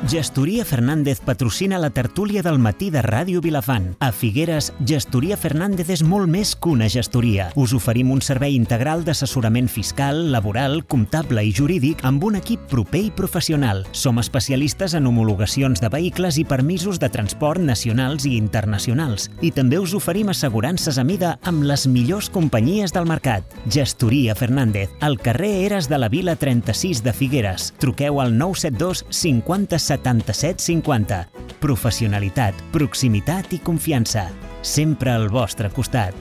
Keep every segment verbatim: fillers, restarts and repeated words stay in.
Gestoria Fernández patrocina la tertúlia del matí de Ràdio Vilafant. A Figueres, Gestoria Fernández és molt més que una gestoria. Us oferim un servei integral d'assessorament fiscal, laboral, comptable i jurídic amb un equip proper i professional. Som especialistes en homologacions de vehicles i permisos de transport nacionals i internacionals. I també us oferim assegurances a mida amb les millors companyies del mercat. Gestoria Fernández, al carrer Eres de la Vila trenta-sis de Figueres. Truqueu al nou set dos cinquanta setanta-set cinquanta. Professionalitat, proximitat i confiança. Sempre al vostre costat.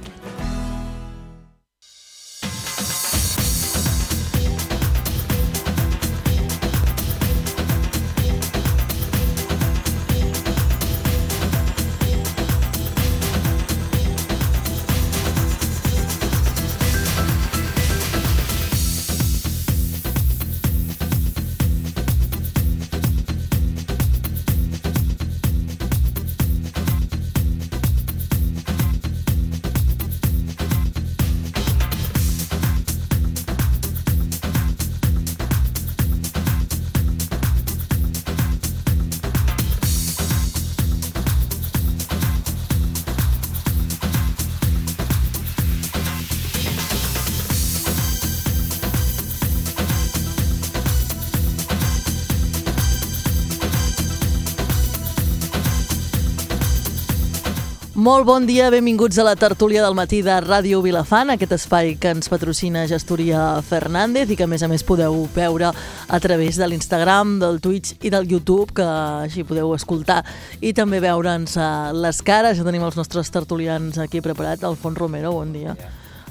Molt bon dia, benvinguts a la tertúlia del matí de Ràdio Vilafant, aquest espai que ens patrocina Gestoria Fernández i que a més a més podeu veure a través de l'Instagram, del Twitch i del YouTube, que així podeu escoltar i també veure'ns les cares. Ja tenim els nostres tertulians aquí preparats. Alfons Romero, bon dia.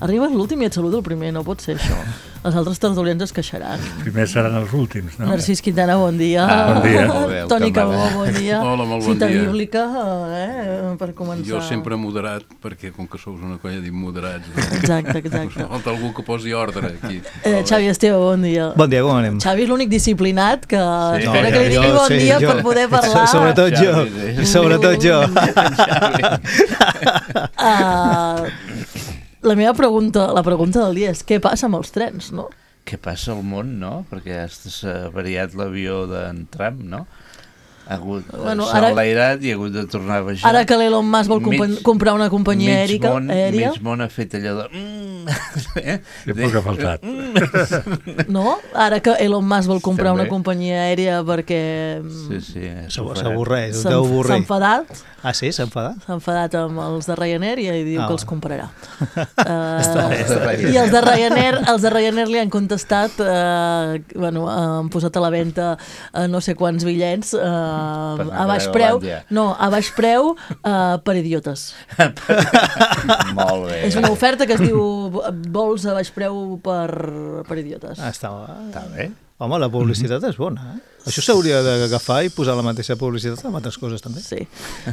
Arribes l'últim i et saludo el primer, no pot ser això. Els altres tertulians es queixaran. Primer seran els últims, no? Narcís Quintana, bon dia. Ah, bon dia. Toni Cabó, bon dia. Hola, molt bon Cita dia. bíblica, eh, per començar. Jo sempre moderat, perquè com que sous una colla d'immoderats... Exacte, exacte. Falta algú que posi ordre aquí. Eh, Xavi Esteve, bon dia. Bon dia, com anem? Xavi és l'únic disciplinat que Sí. espera No, que li jo- digui bon sí, dia jo- per poder parlar. Sobretot jo, Xavi, sí. sobretot jo. Uh, la meva pregunta, la pregunta del dia és què passa amb els trens, no? Què passa al món, no? Perquè s'ha variat l'avió d'en Trump, no? Ha hagut, Bueno, s'ha ara- enlairat i ha hagut de tornar a baixar. Ara que l'Elon Musk vol compa- Mig- comprar una companyia mig aèrica, món, aèria, mig món ha fet allò de... Mm, eh? Sí, poc ha faltat. no? Ara que Elon Musk vol comprar També. una companyia aèria perquè mm, Sí, sí. S'avorreix, s'ha deu avorrir. s'ha enfadat, Ah, sí? S'ha enfadat? s'ha enfadat amb els de Ryanair i diu Ah, que els bueno. comprarà. Està bé, està bé. I els de Ryanair, els de Ryanair li han contestat, eh, bueno, han posat a la venda eh, no sé quants bitllets eh, anar a baix a preu, Groenlàndia. no, a baix preu eh, per idiotes. Molt bé. És una oferta que es diu vols a baix preu per, per idiotes. Ah, està, Està bé. home, la publicitat és bona, eh? Això s'hauria d'agafar i posar la mateieixa publicitat amb altres coses, també. Sí.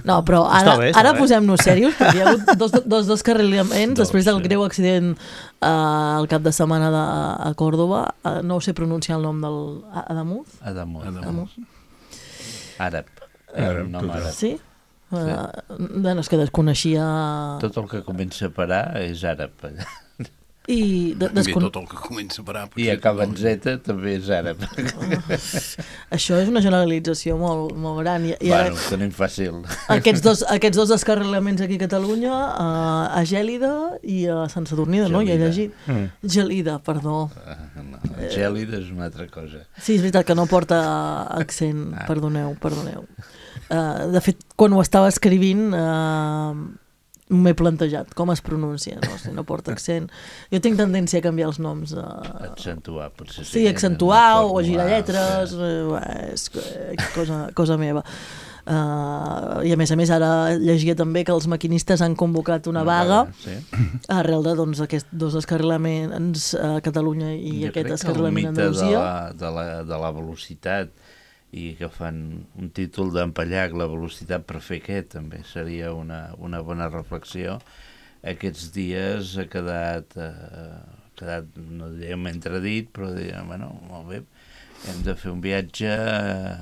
No, però ara, Està bé, està ara bé. posem-nos serios, perquè hi ha hagut dos, dos descarrilaments Dos, després del sí. greu accident eh, el cap de setmana de, a Còrdoba. Eh, no sé pronunciar el nom del Adamuz. Adamuz. Adamuz. Àrab. Àrab, Un nom total. àrab. Sí? Uh, bueno, és que desconeixia... Tot el que comença per A és àrab. I de, Bé, descon... tot el que comença a parar... I acaba en Z també és àrab. Això és una generalització molt, molt gran. I, i ara, Bueno, ho tenim fàcil. aquests, dos, aquests dos descarrilaments aquí a Catalunya, uh, a Gèlida i a Sant Sadurní, no? Ja he Gelida. llegit. Mm. Gelida, perdó. No, gèlid és una altra cosa. Sí, és veritat que no porta accent, Ah. perdoneu, perdoneu. Uh, de fet, quan ho estava escrivint uh, m'he plantejat com es pronuncia, no? Si no porta accent. Jo tinc tendència a canviar els noms. Uh, Accentuar, potser. sí, accentuar o Formular, girar lletres, sí. uh, és cosa, cosa meva. Uh, I a més a més ara llegia també que els maquinistes han convocat una vaga Sí. arrel de doncs, aquests dos descarrilaments a Catalunya i Jo aquest crec que el descarrilament a mite de Andalusia. la, de, la, de la velocitat i que fan un títol d'empallac, la velocitat per fer què, també seria una, una bona reflexió. Aquests dies ha quedat, eh, ha quedat no diríem entredit, però diríem, bueno, molt bé, hem de fer un viatge eh,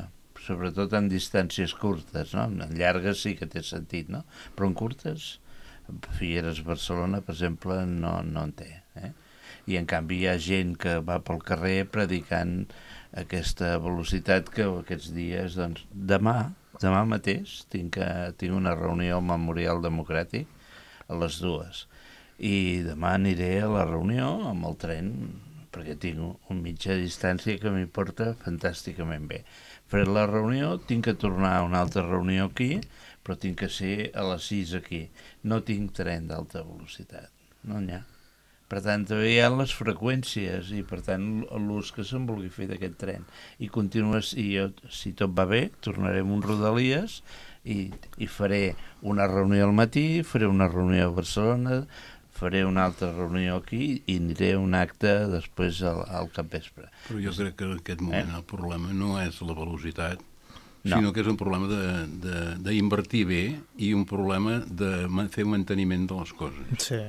sobretot en distàncies curtes, no? En llargues sí que té sentit, no? Però en curtes, Figueres-Barcelona, per exemple, no, no en té, eh? I en canvi hi ha gent que va pel carrer predicant aquesta velocitat que aquests dies, doncs, demà, demà mateix tinc, tinc una reunió al Memorial Democràtic a les dues i demà aniré a la reunió amb el tren perquè tinc un mitjà distància que m'hi porta fantàsticament bé. Faré la reunió, tinc que tornar a una altra reunió aquí, però tinc que ser a les sis aquí. No tinc tren d'alta velocitat, no n'hi ha. Per tant, també hi ha les freqüències i, per tant, l'ús que se'n vulgui fer d'aquest tren. I continues, i jo, si tot va bé, tornarem un Rodalies i, i faré una reunió al matí, faré una reunió a Barcelona, faré una altra reunió aquí i aniré a un acte després al, al capvespre. Però jo crec que en aquest moment eh? el problema no és la velocitat, no. sinó que és un problema d'invertir bé i un problema de fer manteniment de les coses. Sí.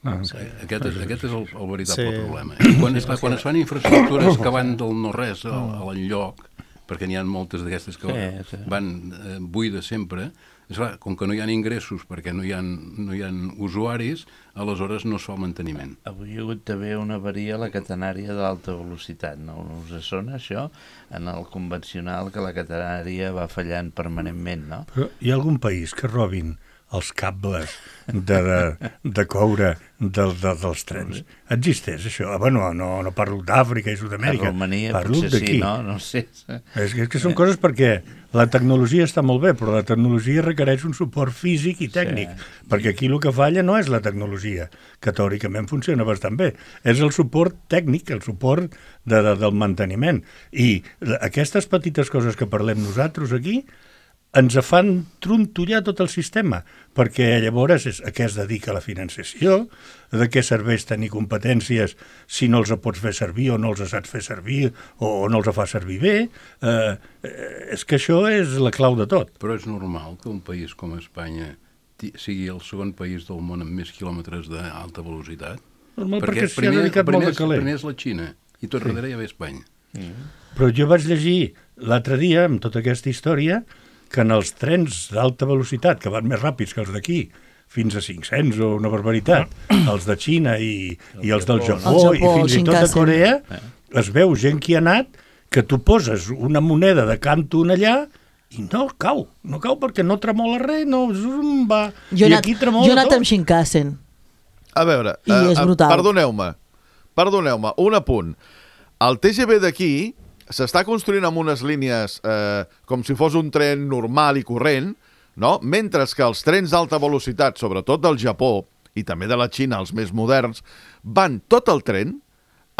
Ah, sí. Aquest, és, aquest és el, el veritable sí. problema. I quan, esclar, quan es fan infraestructures que van del no-res a, a l'enlloc, perquè n'hi ha moltes d'aquestes que sí, sí. van eh, buides sempre, esclar, com que no hi ha ingressos perquè no hi ha, no hi ha usuaris, aleshores no es fa el manteniment. Avui hi ha hagut també una avaria a la catenària d'alta velocitat, no us sona això? En el convencional que la catenària va fallant permanentment, no? Però hi ha algun país que robin els cables de, de, de coure del, de, dels trens. Existeix això? Ah, bueno, no, no parlo d'Àfrica i Sud-amèrica. A Romania parlo potser sí, no? No sé. És que, és que són coses perquè la tecnologia està molt bé, però la tecnologia requereix un suport físic i tècnic, sí. perquè aquí el que falla no és la tecnologia, que teòricament funciona bastant bé, és el suport tècnic, el suport de, de, del manteniment. I aquestes petites coses que parlem nosaltres aquí ens fan trontollar tot el sistema, perquè llavors és a què es dedica la financiació, de què serveix tenir competències si no els pots fer servir o no els saps fer servir o no els fa servir bé. Eh, és que això és la clau de tot. Però és normal que un país com Espanya sigui el segon país del món amb més quilòmetres d'alta velocitat? Normal, perquè, perquè s'hi ha dedicat molt de caler. Primer és la Xina i tot sí. darrere ja ve Espanya. Mm. Però jo vaig llegir l'altre dia, amb tota aquesta història, que en els trens d'alta velocitat, que van més ràpids que els d'aquí, fins a cinc-cents o una barbaritat, els de Xina i, i els del Japó, Japó i fins i tot de Corea, es veu gent que hi ha anat que tu poses una moneda de Canton allà i no cau, no cau perquè no tremola res, no va... Jo I anat, aquí tremola jo he anat tot. amb Shinkansen. A veure, I uh, és brutal. perdoneu-me, perdoneu-me, un apunt. El T G V d'aquí s'està construint amb unes línies eh, com si fos un tren normal i corrent, no? Mentre que els trens d'alta velocitat, sobretot del Japó i també de la Xina, els més moderns, van tot el tren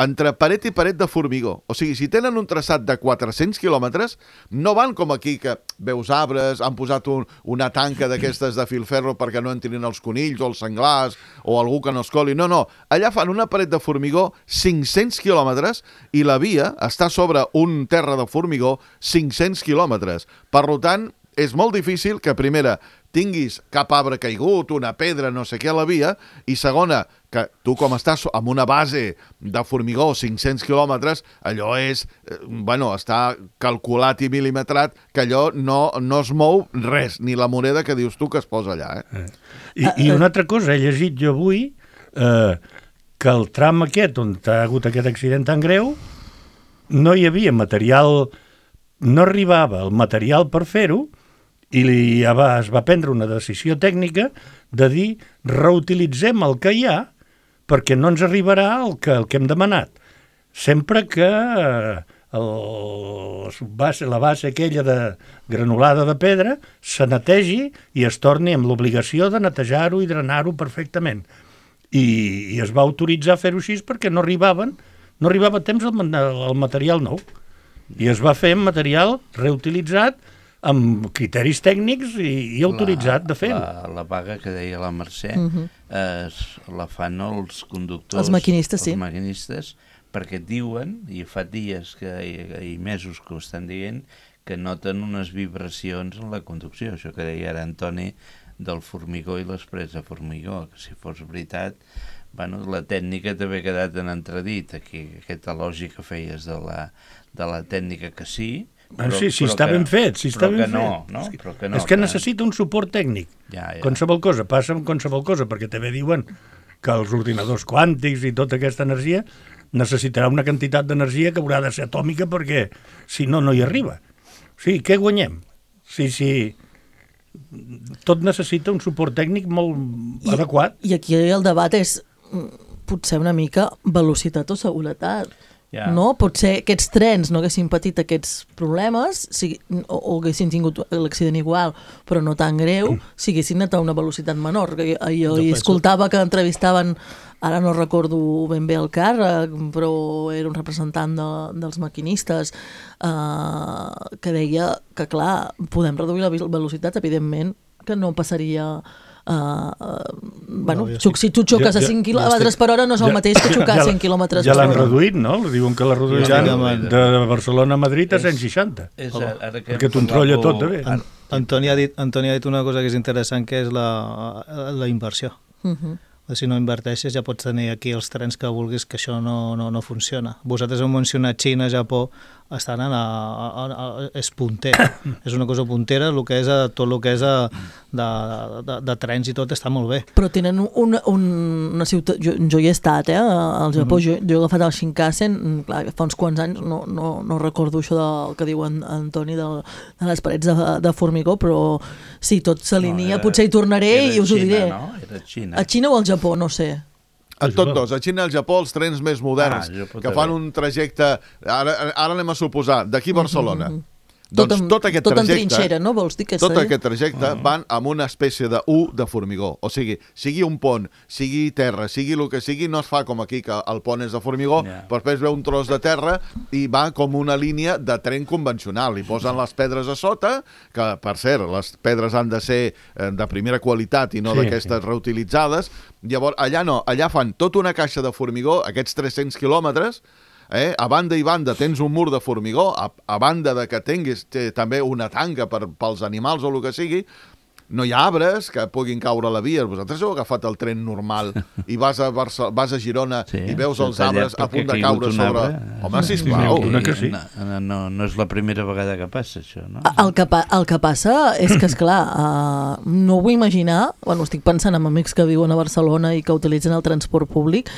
entre paret i paret de formigó. O sigui, si tenen un traçat de quatre-cents quilòmetres, no van com aquí, que veus arbres, han posat un, una tanca d'aquestes de filferro perquè no entrin els conills o els senglars o algú que no es coli. No, no. Allà fan una paret de formigó cinc-cents quilòmetres i la via està sobre un terra de formigó cinc-cents quilòmetres. Per tant, és molt difícil que, primera, tinguis cap arbre caigut, una pedra, no sé què a la via, i segona, que tu com estàs amb una base de formigó cinc-cents quilòmetres, allò és, eh, bueno, està calculat i milimetrat, que allò no, no es mou res, ni la moneda que dius tu que es posa allà. Eh? I, I una altra cosa, he llegit jo avui eh, que el tram aquest on ha hagut aquest accident tan greu no hi havia material, no arribava el material per fer-ho, i ja va, es va prendre una decisió tècnica de dir reutilitzem el que hi ha perquè no ens arribarà el que, el que hem demanat. Sempre que el, base, la base aquella de granulada de pedra se netegi i es torni amb l'obligació de netejar-ho i drenar-ho perfectament. I, i es va autoritzar a fer-ho així perquè no arribaven, no arribava a temps el, el material nou. I es va fer amb material reutilitzat amb criteris tècnics i, i autoritzat de fer-ho. La, la vaga que deia la Mercè Uh-huh. eh, la fan els conductors, Els maquinistes, sí. els maquinistes, perquè diuen, i fa dies que, i, i mesos que ho estan dient, que noten unes vibracions en la conducció. Això que deia ara Antoni del formigó i les parets de formigó, que si fos veritat, bueno, la tècnica també ha quedat en entredit. Aquí, aquesta lògica que feies de la, de la tècnica que sí, Però, sí, si està ben fet, si està ben no, fet. No, però que no, és que que... necessita un suport tècnic. Ja, ja. Qualsevol cosa, passa amb qualsevol cosa, perquè també diuen que els ordinadors quàntics i tota aquesta energia necessitarà una quantitat d'energia que haurà de ser atòmica perquè, si no, no hi arriba. O sigui, què guanyem? Sí, sí, tot necessita un suport tècnic molt I, adequat. I aquí el debat és potser una mica velocitat o seguretat. Ja. No? Potser aquests trens no haguessin patit aquests problemes si, o, o haguessin tingut l'accident igual, però no tan greu, si haguessin anat a una velocitat menor. Jo, jo hi escoltava que entrevistaven, ara no recordo ben bé el càrrec, però era un representant de, dels maquinistes, eh, que deia que, clar, podem reduir la velocitat, evidentment, que no passaria... Uh, uh, bueno, no, sí. Si tu xoques ja, a cinc quilòmetres per hora no és el ja, mateix que xocar a cent quilòmetres ja per hora. Ja l'han reduït, no? Diuen que la reduiran ja, de Barcelona a Madrid a cent seixanta. És, és, ara que perquè t'ho entrolla tot, de bé. An Antoni ha dit, Antoni ha dit una cosa que és interessant, que és la, la inversió. Uh -huh. Si no inverteixes ja pots tenir aquí els trens que vulguis, que això no, no, no funciona. Vosaltres heu mencionat Xina, Japó, estan a, a, a, a, és punter. És una cosa puntera, el que és a, tot el que és a, de, de, de trens i tot està molt bé. Però tenen un, un, una ciutat... Jo, jo hi he estat, eh, al Japó. Mm-hmm. jo, jo he agafat el Shinkansen, clar, fa uns quants anys, no, no, no recordo això del que diu en, Antoni de, de les parets de, de formigó, però sí, tot s'alinea, no, potser hi tornaré i us Xina, ho diré. No? Era Xina. A Xina o al Japó, no sé. A tots dos, a Xina i al Japó, els trens més moderns, ah, que fan un trajecte... Ara, ara anem a suposar, d'aquí a Barcelona. Mm -hmm. Tot Doncs en, tot aquest tot trajecte... en trinxera, no? Vols dir que tot seria? aquest trajecte uh -huh. van amb una espècie de U de formigó. O sigui, sigui un pont, sigui terra, sigui el que sigui, no es fa com aquí, que el pont és de formigó, yeah. però després ve un tros de terra i va com una línia de tren convencional. I posen les pedres a sota, que, per cert, les pedres han de ser de primera qualitat i no sí, d'aquestes sí. reutilitzades. Llavors, allà no, allà fan tota una caixa de formigó, aquests tres-cents quilòmetres. Eh? A banda i banda tens un mur de formigó, a, a banda de que tinguis també una tanca per, pels animals o el que sigui, no hi ha arbres que puguin caure a la via. Vosaltres heu agafat el tren normal i vas a, Barça, vas a Girona sí, i veus els arbres a punt de caure sobre... Arbre. Home, sisplau. Sí, sí. No, no, no és la primera vegada que passa, això, no? El que, pa el que passa és que, esclar, uh, no ho vull imaginar, bueno, estic pensant en amics que viuen a Barcelona i que utilitzen el transport públic.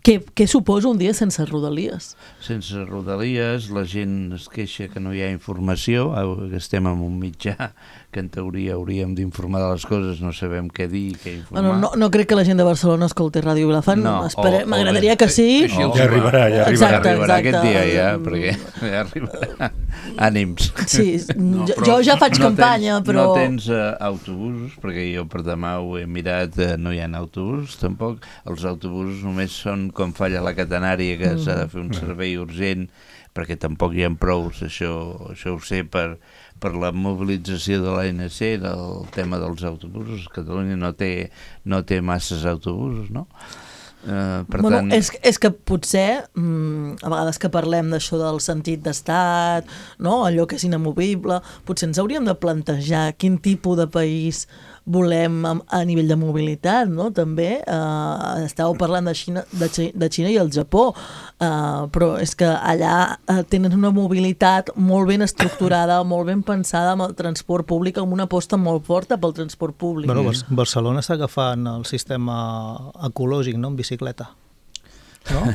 Què, què suposa un dia sense rodalies? Sense rodalies, la gent es queixa que no hi ha informació, que estem en un mitjà que en teoria hauríem d'informar de les coses, no sabem què dir, què informar. Bueno, no, no crec que la gent de Barcelona escolti Ràdio Vilafant, no, m'agradaria que sí. Oh, ja arribarà, ja arribarà. Exacte, arribarà exacte. aquest dia ja, perquè ja arribarà. Ànims. Sí, no, jo, jo ja faig no campanya, tens, però... No tens uh, autobusos, perquè jo per demà ho he mirat, uh, no hi ha autobusos tampoc. Els autobusos només són quan falla la catenària, que s'ha de fer un servei urgent, perquè tampoc hi ha prou, això, això ho sé per, per la mobilització de l'A N C, del tema dels autobusos. Catalunya no té, no té masses autobusos, no? Uh, per bueno, tant... és, és que potser, mm, a vegades que parlem d'això del sentit d'estat, no? Allò que és inamovible, potser ens hauríem de plantejar quin tipus de país volem a, a nivell de mobilitat, no? També eh, estàveu parlant de Xina, de, de Xina i el Japó, eh, però és que allà eh, tenen una mobilitat molt ben estructurada, molt ben pensada amb el transport públic, amb una aposta molt forta pel transport públic. Bueno, Barcelona està agafant el sistema ecològic, no?, en bicicleta. No?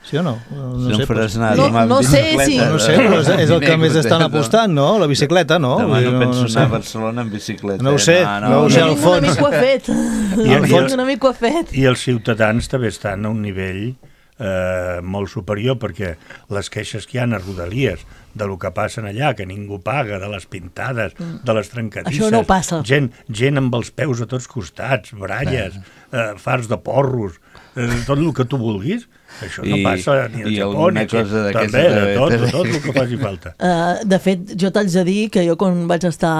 Sí o no? No, sé, faràs pues... anar no, demà no sé si... No sé, però és, és el que més estan apostant, no? La bicicleta, no? Demà no, no penso no sé. anar a Barcelona en bicicleta. No ho sé, no, no, no ho sé, al fons. Un amic ho ha fet. I, al fons un amic ho ha fet. I els ciutadans també estan a un nivell eh, molt superior, perquè les queixes que hi ha a Rodalies de lo que passen allà, que ningú paga, de les pintades, mm. de les trencadisses... Això no passa. Gent, gent amb els peus a tots costats, baralles, eh, fars de porros, eh, tot el que tu vulguis... Això no I, passa ni al Japó, ni aquí. També, tot, tot el que faci falta. Uh, de fet, jo t'haig de dir que jo quan vaig estar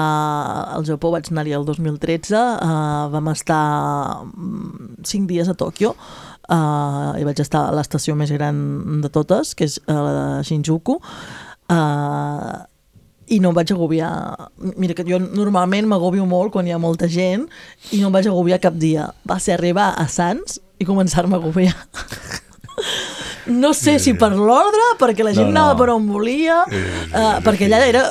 al Japó, vaig anar-hi el dos mil tretze, uh, vam estar cinc dies a Tòquio, uh, i vaig estar a l'estació més gran de totes, que és uh, la de Shinjuku, uh, i no em vaig agobiar. Mira, que jo normalment m'agobio molt quan hi ha molta gent i no em vaig agobiar cap dia. Va ser arribar a Sants i començar-me a agobiar. No sé si per l'ordre, perquè la gent no, no. anava per on volia, uh, perquè allà era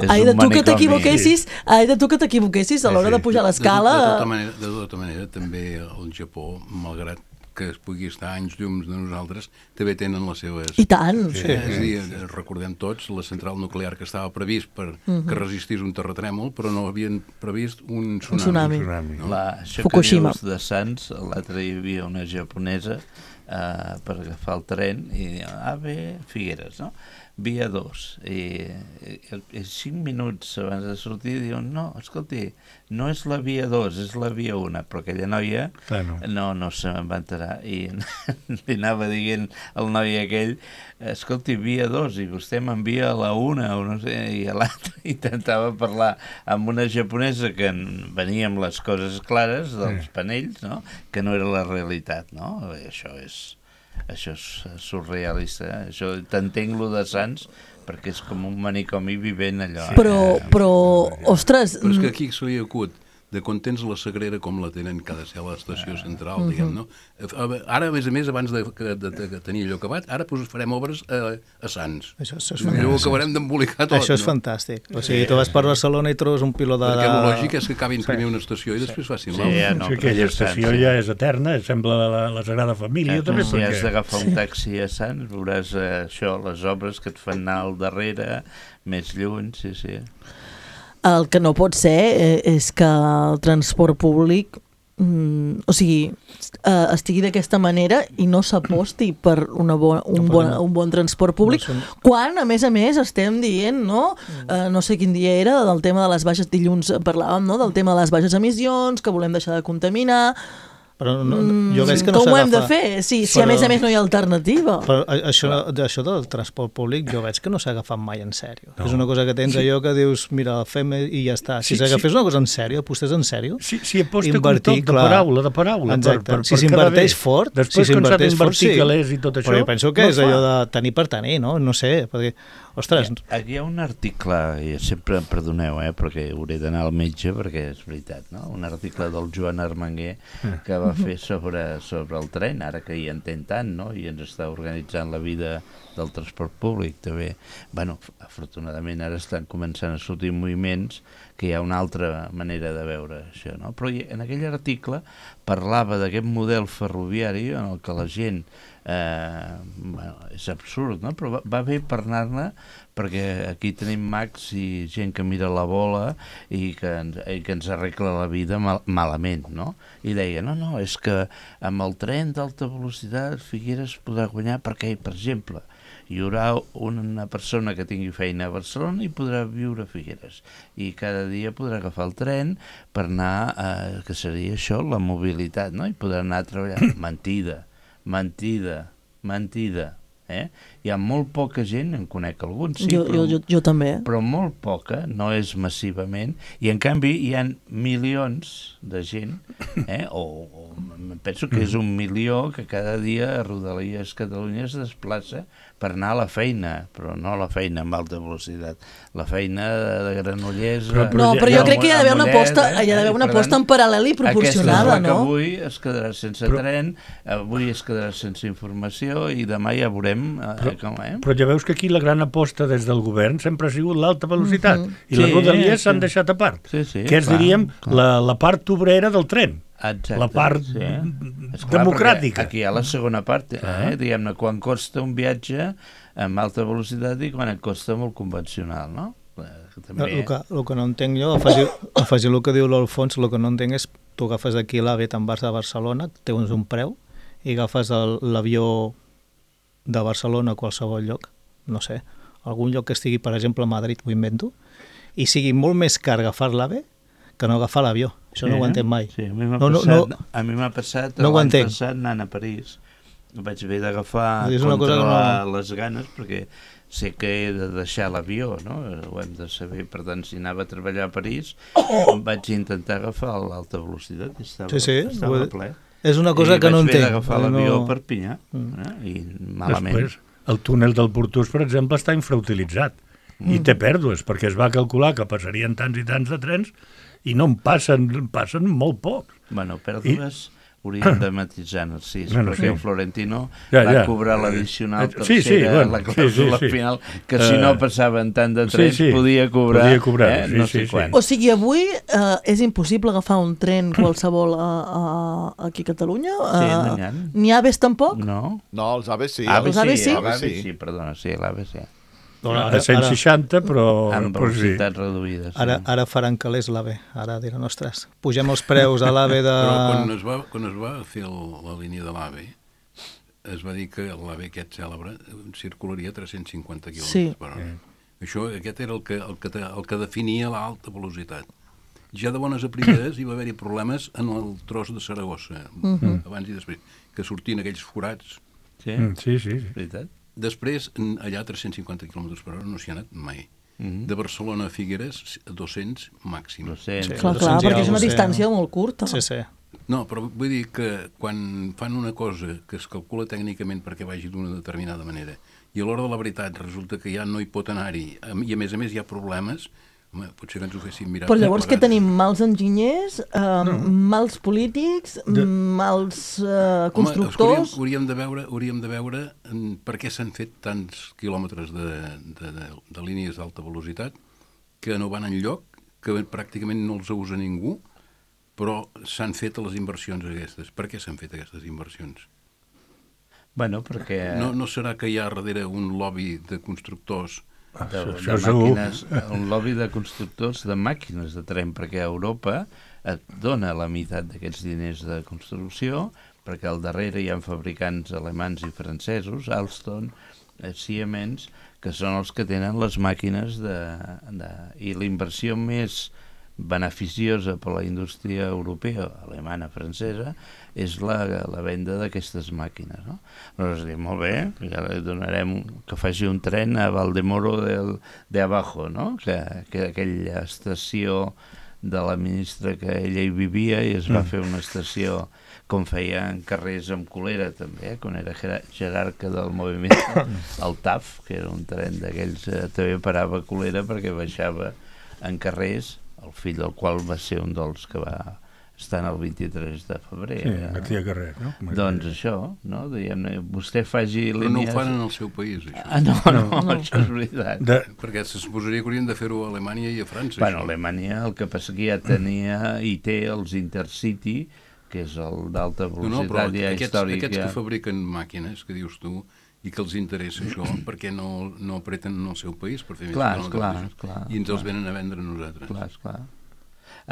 ai de tu que t'equivoquessis, ai de tu que t'equivoquessis a l'hora de pujar l'escala. De, de, tota manera, de tota manera, també el Japó, malgrat que es pugui estar anys llums de nosaltres, també tenen les seves... I tant! Sí. És a dir, recordem tots la central nuclear que estava previst per uh-huh. que resistís un terratrèmol, però no havien previst un tsunami. Un tsunami. Un tsunami no? La, això Fukushima. que dius de Sants, l'altre hi havia una japonesa uh, per agafar el tren i diu, ah bé, Figueres, no? Via dos. I, i, i cinc minuts abans de sortir diuen, no, escolti, no és la via dos, és la via una, però aquella noia Claro. no, no se'n va enterar i li anava dient al noi aquell, escolti, via dos, i vostè m'envia a la una, o no sé, i a l'altre intentava parlar amb una japonesa que venia amb les coses clares dels panells, no? Que no era la realitat, no? I això és... Això és surrealista, eh? Això t'entenc lo de Sants perquè és com un manicomi vivent allò. Però, però, ostres... Però és que aquí se li acut de quan tens la Sagrera com la tenen que ha de ser a l'estació central, uh-huh. diguem, no? Ara, a més a més, abans de, de, de, de tenir allò acabat, ara pues, farem obres a, a Sants. Això, això és Allò acabarem d'embolicar tot, Això és no? fantàstic. O sigui, tu vas per Barcelona i trobes un piló de... Perquè el lògic és que acabin primer una estació i després facin l'altra. Sí, ja no, Sí, aquella estació ja és eterna, sembla la, la Sagrada Família, Eh, també, si perquè... has d'agafar un taxi a Sants, veuràs eh, això, les obres que et fan anar al darrere, més lluny, sí, sí. El que no pot ser eh, és que el transport públic mm, o sigui, eh, estigui d'aquesta manera i no s'aposti per una bona, un, No bon, podem- un bon transport públic, No són- quan, a més a més, estem dient, no? Eh, no sé quin dia era, del tema de les baixes, dilluns parlàvem, no?, del tema de les baixes emissions, que volem deixar de contaminar... Però no, jo veig que no Com ho hem de s'agafa. fer? Sí, si a Però- més a més no hi ha alternativa. Però a- això, això del transport públic jo veig que no s'ha agafat mai en sèrio. No. És una cosa que tens allò que dius, mira, fem i ja està. Si Sí, s'agafés sí. una cosa en sèrio, apostés en sèrio, Si, si aposta Invertir, un toc de clar. paraula, de paraula. Exacte. Per, per, Si per s'inverteix quedar bé. fort, Després, si quan s'ha s'inverteix fort, sí. d'invertir calés i tot això... Però jo penso que no és fa. allò de tenir per tenir, no? No sé, perquè, ostres... Aquí hi ha un article, i sempre em perdoneu, eh, perquè hauré d'anar al metge, perquè és veritat, no? Un article del Joan Armenguer que va fer sobre, sobre el tren, ara que hi entén tant, no? I ens està organitzant la vida del transport públic, també. Bueno, afortunadament ara estan començant a sortir moviments que hi ha una altra manera de veure això, no? Però en aquell article parlava d'aquest model ferroviari en el que la gent eh, bueno, és absurd, no? Però va, va bé parlar-ne perquè aquí tenim mags i gent que mira la bola i que, ens, i que ens arregla la vida mal, malament, no? I deia, no, no, és que amb el tren d'alta velocitat Figueres podrà guanyar perquè, per exemple, hi haurà una persona que tingui feina a Barcelona i podrà viure a Figueres i cada dia podrà agafar el tren per anar, eh, que seria això, la mobilitat, no? I podrà anar a treballar. Mentida, mentida, mentida. Eh? Hi ha molt poca gent, en conec alguns, sí, jo, però, jo, jo, jo també. però molt poca, no és massivament, i en canvi hi ha milions de gent, eh? o, o penso que és un milió que cada dia a Rodalies Catalunya es desplaça per anar a la feina, però no a la feina amb alta velocitat, la feina de, de Granollers... Però- però No, ja- però ja jo crec que hi ha d'haver una Mollet, aposta, eh? hi ha d'haver una Per aposta tant, en paral·lel i proporcionada, aquesta és la no? que avui es quedarà sense Però- tren, avui es quedarà sense informació i demà ja veurem eh, Però- com, eh? Però ja veus que aquí la gran aposta des del govern sempre ha sigut l'alta velocitat. Mhm. I les Sí, rodalies s'han sí. deixat a part. Sí, sí, que és, clar, diríem, clar. la, la part obrera del tren. Exacte, la part sí. És clar, democràtica. perquè Aquí hi ha la segona part, eh? Ah. Diguem-ne, quan costa un viatge amb alta velocitat i quan et costa molt convencional, no? Eh, També... El que, el que no entenc jo, afegir, afegir el que diu l'Alfons, el que no entenc és tu agafes d'aquí l'AVE, te'n vas a Barcelona, té un preu, i agafes el- l'avió de Barcelona a qualsevol lloc, no sé, algun lloc que estigui, per exemple, a Madrid, ho invento, i sigui molt més car agafar l'AVE que no agafar l'avió. Això no ho entenc mai. Sí, a mi m'ha No, no, passat, no. a mi m'ha passat No ho l'any entenc. passat anant a París. Vaig haver d'agafar, És una cosa que controlar no- les ganes, perquè sé que he de deixar l'avió, no? Ho hem de saber. Per tant, si anava a treballar a París, vaig intentar agafar l'alta velocitat i estava, Sí, sí, estava ho- ple. És una cosa I que no vaig haver entenc. d'agafar no... l'avió a Perpinyà, eh? I malament. Després, el túnel del Portús, per exemple, està infrautilitzat. I té pèrdues, perquè es va calcular que passarien tants i tants de trens i no en passen, passen molt pocs. Bueno, pèrdues, hauríem de matisar en el sis, bueno, perquè sí. el Florentino ja, va ja. cobrar l'addicional tercera, sí, sí, bueno, la clàusula sí, sí, sí. final, que si no passaven tant de trens sí, sí. podia cobrar, podia cobrar eh, sí, no sí, sé sí. quan. O sigui, avui eh, és impossible agafar un tren qualsevol a, a, aquí a Catalunya? Sí, Eh, no n'hi ha. Ni aves tampoc? No? No, els A V sí. A V Els A V sí, sí? l'A V sí, perdona, sí, l'A V sí. A cent seixanta, però... Amb però sí. velocitats reduïdes. Ara, Sí. ara faran calés l'AVE. Ara diran, ostres, pugem els preus a l'AVE de... Però quan es va, quan es va fer el, la línia de l'AVE, es va dir que l'AVE aquest cèlebre circularia a tres-cents cinquanta quilòmetres Sí. per hora. Això, aquest era el que, el que, el que definia l'alta velocitat. Ja de bones a primeres hi va haver-hi problemes en el tros de Saragossa, uh -huh. abans i després, que sortien aquells forats. Sí, Mm, sí, sí, sí. veritat. Després, allà a tres-cents cinquanta quilòmetres per hora no s'hi ha anat mai. Uh -huh. De Barcelona a Figueres, a dos-cents màxim. dos-cents. Sí. Clar, clar, dos-cents perquè és una ja ho sé, distància no? molt curta. Sí, sí. No, però vull dir que quan fan una cosa que es calcula tècnicament perquè vagi d'una determinada manera i a l'hora de la veritat resulta que ja no hi pot anar-hi i a més a més hi ha problemes, home, potser que ens ho fessin mirar. Però llavors què plegats. tenim? Mals enginyers, eh, no. mals polítics, De... mals eh, Home, constructors... hauríem, hauríem de veure, hauríem de veure mm, per què s'han fet tants quilòmetres de, de, de, de línies d'alta velocitat que no van enlloc, que pràcticament no els usa ningú, però s'han fet les inversions aquestes. Per què s'han fet aquestes inversions? Bueno, perquè... No, no serà que hi ha darrere un lobby de constructors de, això de segur. màquines, un lobby de constructors de màquines de tren, perquè a Europa et dona la meitat d'aquests diners de construcció, perquè al darrere hi ha fabricants alemans i francesos, Alstom, Siemens, que són els que tenen les màquines de, de, i la inversió més beneficiosa per a la indústria europea, alemana, francesa, és la, la venda d'aquestes màquines, no? Llavors dic, molt bé, ja li donarem que faci un tren a Valdemoro del, de Abajo, no? Que, que aquella estació de la ministra que ella hi vivia i es va mm. fer una estació com feien carrers amb colera també, eh? Quan era jerarca del moviment, el T A F, que era un tren d'aquells, eh, també parava a colera perquè baixava en carrers, el fill del qual va ser un dels que va estar en el vint-i-tres de febrer. Sí, eh? aquí a carrer, no? Doncs això, no? Diguem-ne, vostè faci però línies... no ho fan en el seu país, això. Ah, no, no, no, això és veritat. De... Perquè se suposaria que haurien de fer-ho a Alemanya i a França. Bueno, això. Alemanya el que passa que ja tenia i té els Intercity, que és el d'alta No, no, però velocitat ja aquests, històrica. aquests que fabriquen màquines, que dius tu, i que els interessa això, perquè no, no apreten en el seu país per fer més Clar, quilòmetres, clar, això. clar, I ens clar. els venen a vendre a nosaltres. Clar, esclar.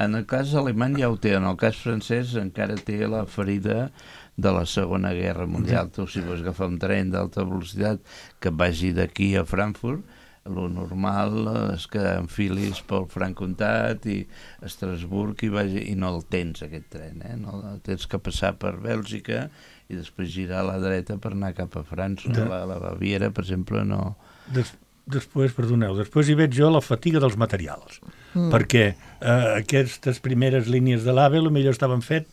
En el cas alemany ja ho té, en el cas francès encara té la ferida de la Segona Guerra Mundial. Tu, si vols agafar un tren d'alta velocitat que vagi d'aquí a Frankfurt, lo normal és que enfilis pel Franc-Comtat i Estrasburg i, vagi, i no el tens, aquest tren, eh? No, tens que passar per Bèlgica i després girar a la dreta per anar cap a França. De... La, la Baviera, per exemple, no... Des... Després, perdoneu, després hi veig jo la fatiga dels materials, mm. perquè eh, aquestes primeres línies de l'AVE potser estaven fet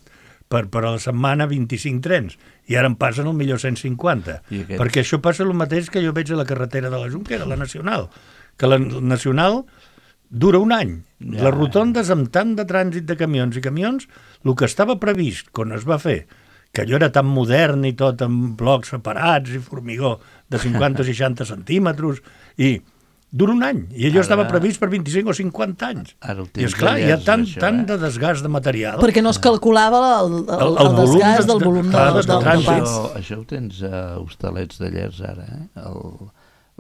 per, per a la setmana vint-i-cinc trens, i ara en passen al millor cent cinquanta, aquest... perquè això passa el mateix que jo veig a la carretera de la Jonquera, la Nacional, que la Nacional dura un any. Ja. Les rotondes amb tant de trànsit de camions i camions, el que estava previst quan es va fer, que allò era tan modern i tot amb blocs separats i formigó de cinquanta o seixanta centímetres, i dura un any, i allò ara... estava previst per vint-i-cinc o cinquanta anys. Ara I esclar, hi ha tant, això, tant eh? de desgast de material. Perquè no es calculava el, el, el, el desgast del volum de, clar, de, de del, del trànsit. pas. Això, això ho tens a Hostalets de Llers ara, eh? El,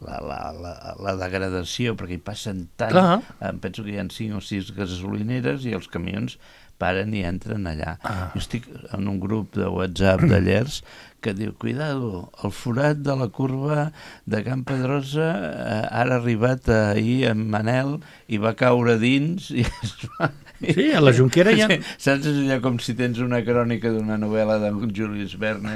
la, la, la, la degradació, perquè hi passen tant, clar. em penso que hi ha cinc o sis gasolineres i els camions paren i entren allà. Ah. Jo estic en un grup de WhatsApp de Llers que diu, cuidado, el forat de la curva de Can Pedrosa eh, ara ha arribat ahir en Manel i va caure dins i es va... Sí, a la Jonquera hi ha... Sí, saps allò com si tens una crònica d'una novel·la de Julius Verne,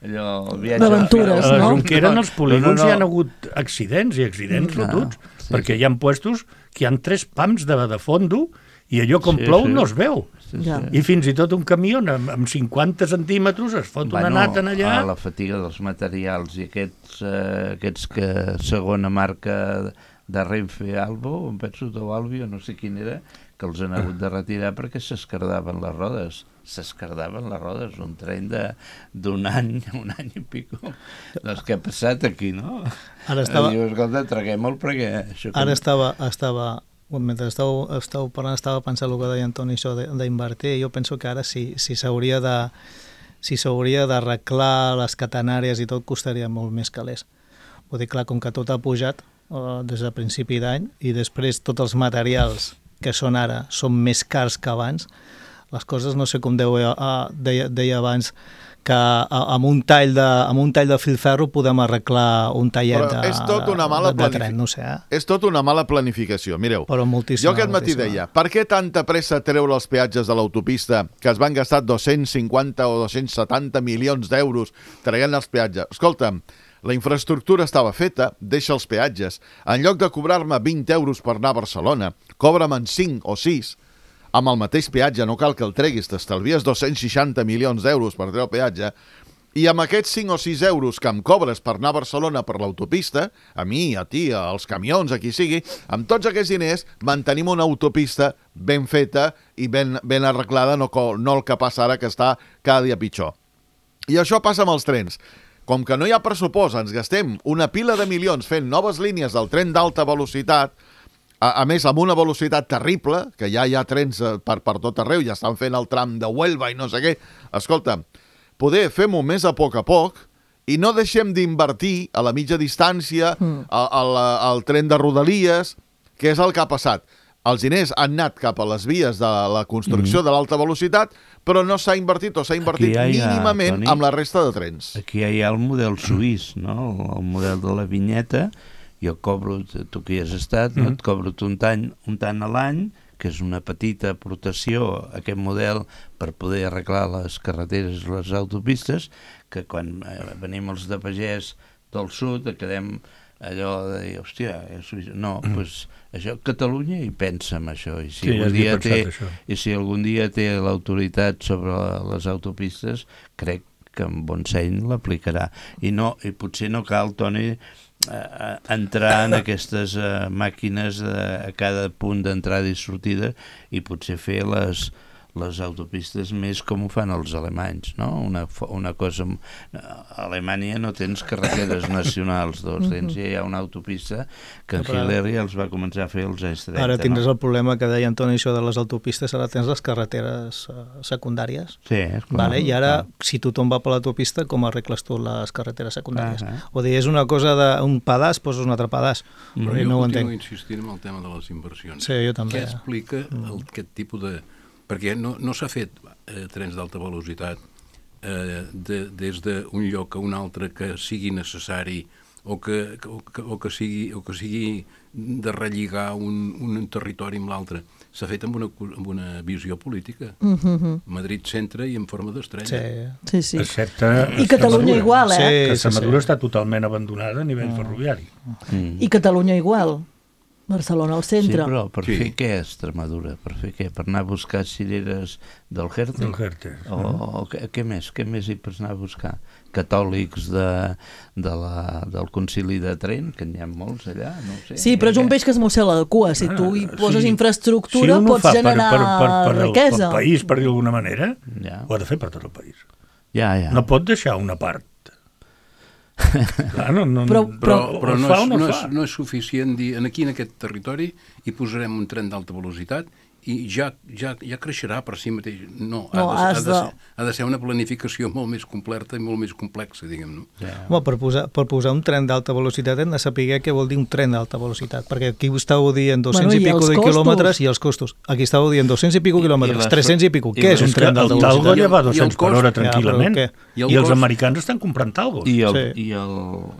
allò... El viatge d'aventures, a la no? Jonquera en els polígons no, no, no. hi ha hagut accidents i accidents Mm, fotuts, no, sí, perquè sí. hi ha puestos que hi ha tres pams de, de fondo i allò com Sí, plou sí. no es veu. Sí, Ja. sí. I fins i tot un camió amb, amb cinquanta centímetres es fot una nata en allà. A la fatiga dels materials i aquests, eh, aquests que segona marca de Renfe Albo, em penso, o Albio, no sé quin era, que els han hagut de retirar perquè s'escardaven les rodes. s'escardaven les rodes, un tren d'un any, un any i pico. Doncs què ha passat aquí, no? Ara estava... Diu, escolta, traguem-el perquè... Això que... Ara estava... estava... mentre estàu, estàu parlant estava pensant el que deia Antoni, això d'invertir. Jo penso que ara si s'hauria si de si s'hauria d'arreglar les catenàries i tot, costaria molt més calés. Vull dir, clar, com que tot ha pujat eh, des de principi d'any i després tots els materials que són ara són més cars que abans, les coses, no sé com deia, deia, deia abans, que amb un tall de, amb un tall de filferro podem arreglar un tallet de, és tot una mala de, de tren, no sé. Eh? És tot una mala planificació. Mireu, Però moltíssima, jo aquest matí moltíssima. deia, per què tanta pressa treure els peatges de l'autopista que es van gastar dos-cents cinquanta o dos-cents setanta milions d'euros traient els peatges? Escolta'm, la infraestructura estava feta, deixa els peatges. En lloc de cobrar-me vint euros per anar a Barcelona, cobra'm en cinc o sis. Amb el mateix peatge, no cal que el treguis, t'estalvies dos-cents seixanta milions d'euros per treure el peatge, i amb aquests cinc o sis euros que em cobres per anar a Barcelona per l'autopista, a mi, a ti, als camions, a qui sigui, amb tots aquests diners mantenim una autopista ben feta i ben, ben arreglada, no, no el que passa ara, que està cada dia pitjor. I això passa amb els trens. Com que no hi ha pressupost, ens gastem una pila de milions fent noves línies del tren d'alta velocitat, A, a més, amb una velocitat terrible, que ja hi ha trens per, per tot arreu, ja estan fent el tram de Huelva i no sé què. Escolta, poder fem-ho més a poc a poc i no deixem d'invertir a la mitja distància, mm. al, al tren de Rodalies, que és el que ha passat. Els diners han anat cap a les vies de la construcció mm. de l'alta velocitat, però no s'ha invertit o s'ha invertit ha, mínimament Toni, amb la resta de trens. Aquí ja hi ha el model suís, no? El model de la vinyeta. Jo cobro, tu que hi has estat, no? Mm. Et cobro un tant, un tant a l'any, que és una petita aportació a aquest model per poder arreglar les carreteres i les autopistes, que quan eh, venim els de pagès del sud quedem allò de dir, hòstia, no, doncs mm. pues, això, Catalunya hi pensa en això, i si, sí, algun dia té, i si algun dia té l'autoritat sobre les autopistes, crec que amb bon seny l'aplicarà. I, no, i potser no cal, Toni, Uh, entrar en aquestes uh, màquines uh, a cada punt d'entrada i sortida i potser fer les, les autopistes més com ho fan els alemanys, no? Una, una cosa... A Alemanya no tens carreteres nacionals, doncs tens, ja hi ha una autopista que en Hitler ja els va començar a fer els anys trenta. Ara tindràs no? el problema que deia Antoni, això de les autopistes, ara tens les carreteres uh, secundàries. Sí, és clar. Vale? I ara, clar, si tothom va per l'autopista, com arregles tu les carreteres secundàries? Ah, o dir, és una cosa d'un pedaç, poses un altre pedaç. Mm. Però jo no ho continuo entenc. insistint en el tema de les inversions. Sí, jo també. Què explica el, aquest tipus de... Perquè no, no s'ha fet eh, trens d'alta velocitat eh, de, des d'un lloc a un altre que sigui necessari o que, o que, o que, sigui, o que sigui de relligar un, un territori amb l'altre. S'ha fet amb una, amb una visió política. Mm-hmm. Madrid centre i en forma d'estrella. Sí, sí. sí. Excepte I Catalunya igual, eh? Sí, que sí, Extremadura sí. està totalment abandonada a nivell mm. ferroviari. Mm. I Catalunya igual. Barcelona al centre. Sí, però per sí. fer què, Extremadura? Per fer què? Per anar a buscar cireres del Jerte? Del Jerte. O, o què, què més? Què més hi pots anar a buscar? Catòlics de, de la, del concili de Trent, que n'hi ha molts allà, no ho sé. Sí, però és un peix que es mossega la cua. Si tu hi poses sí. infraestructura, si pots generar per, per, per, per riquesa. El, pel país, per dir d'alguna manera, ja. ho ha de fer per tot el país. Ja, ja. No pot deixar una part. Clar, no, no, però però, però no, fa és, no, no, és, no és suficient dir aquí en aquest territori hi posarem un tren d'alta velocitat i ja, ja, ja creixerà per si mateix. No, no ha, de, ha, de de... ser, ha de ser una planificació molt més completa i molt més complexa, diguem, no? Ja. Home, per posar, per posar un tren d'alta velocitat hem de saber què vol dir un tren d'alta velocitat, perquè aquí estàveu dient dos-cents bueno, i, i pico de costos? quilòmetres i els costos. Aquí estàveu dient dos-cents i pico quilòmetres, tres-cents i pico. Què és un tren d'alta velocitat? El Talgo ja va a dos-cents per hora tranquil·lament. Ja, I, I els cost... americans estan comprant Talgos. I, el, sí. i, el,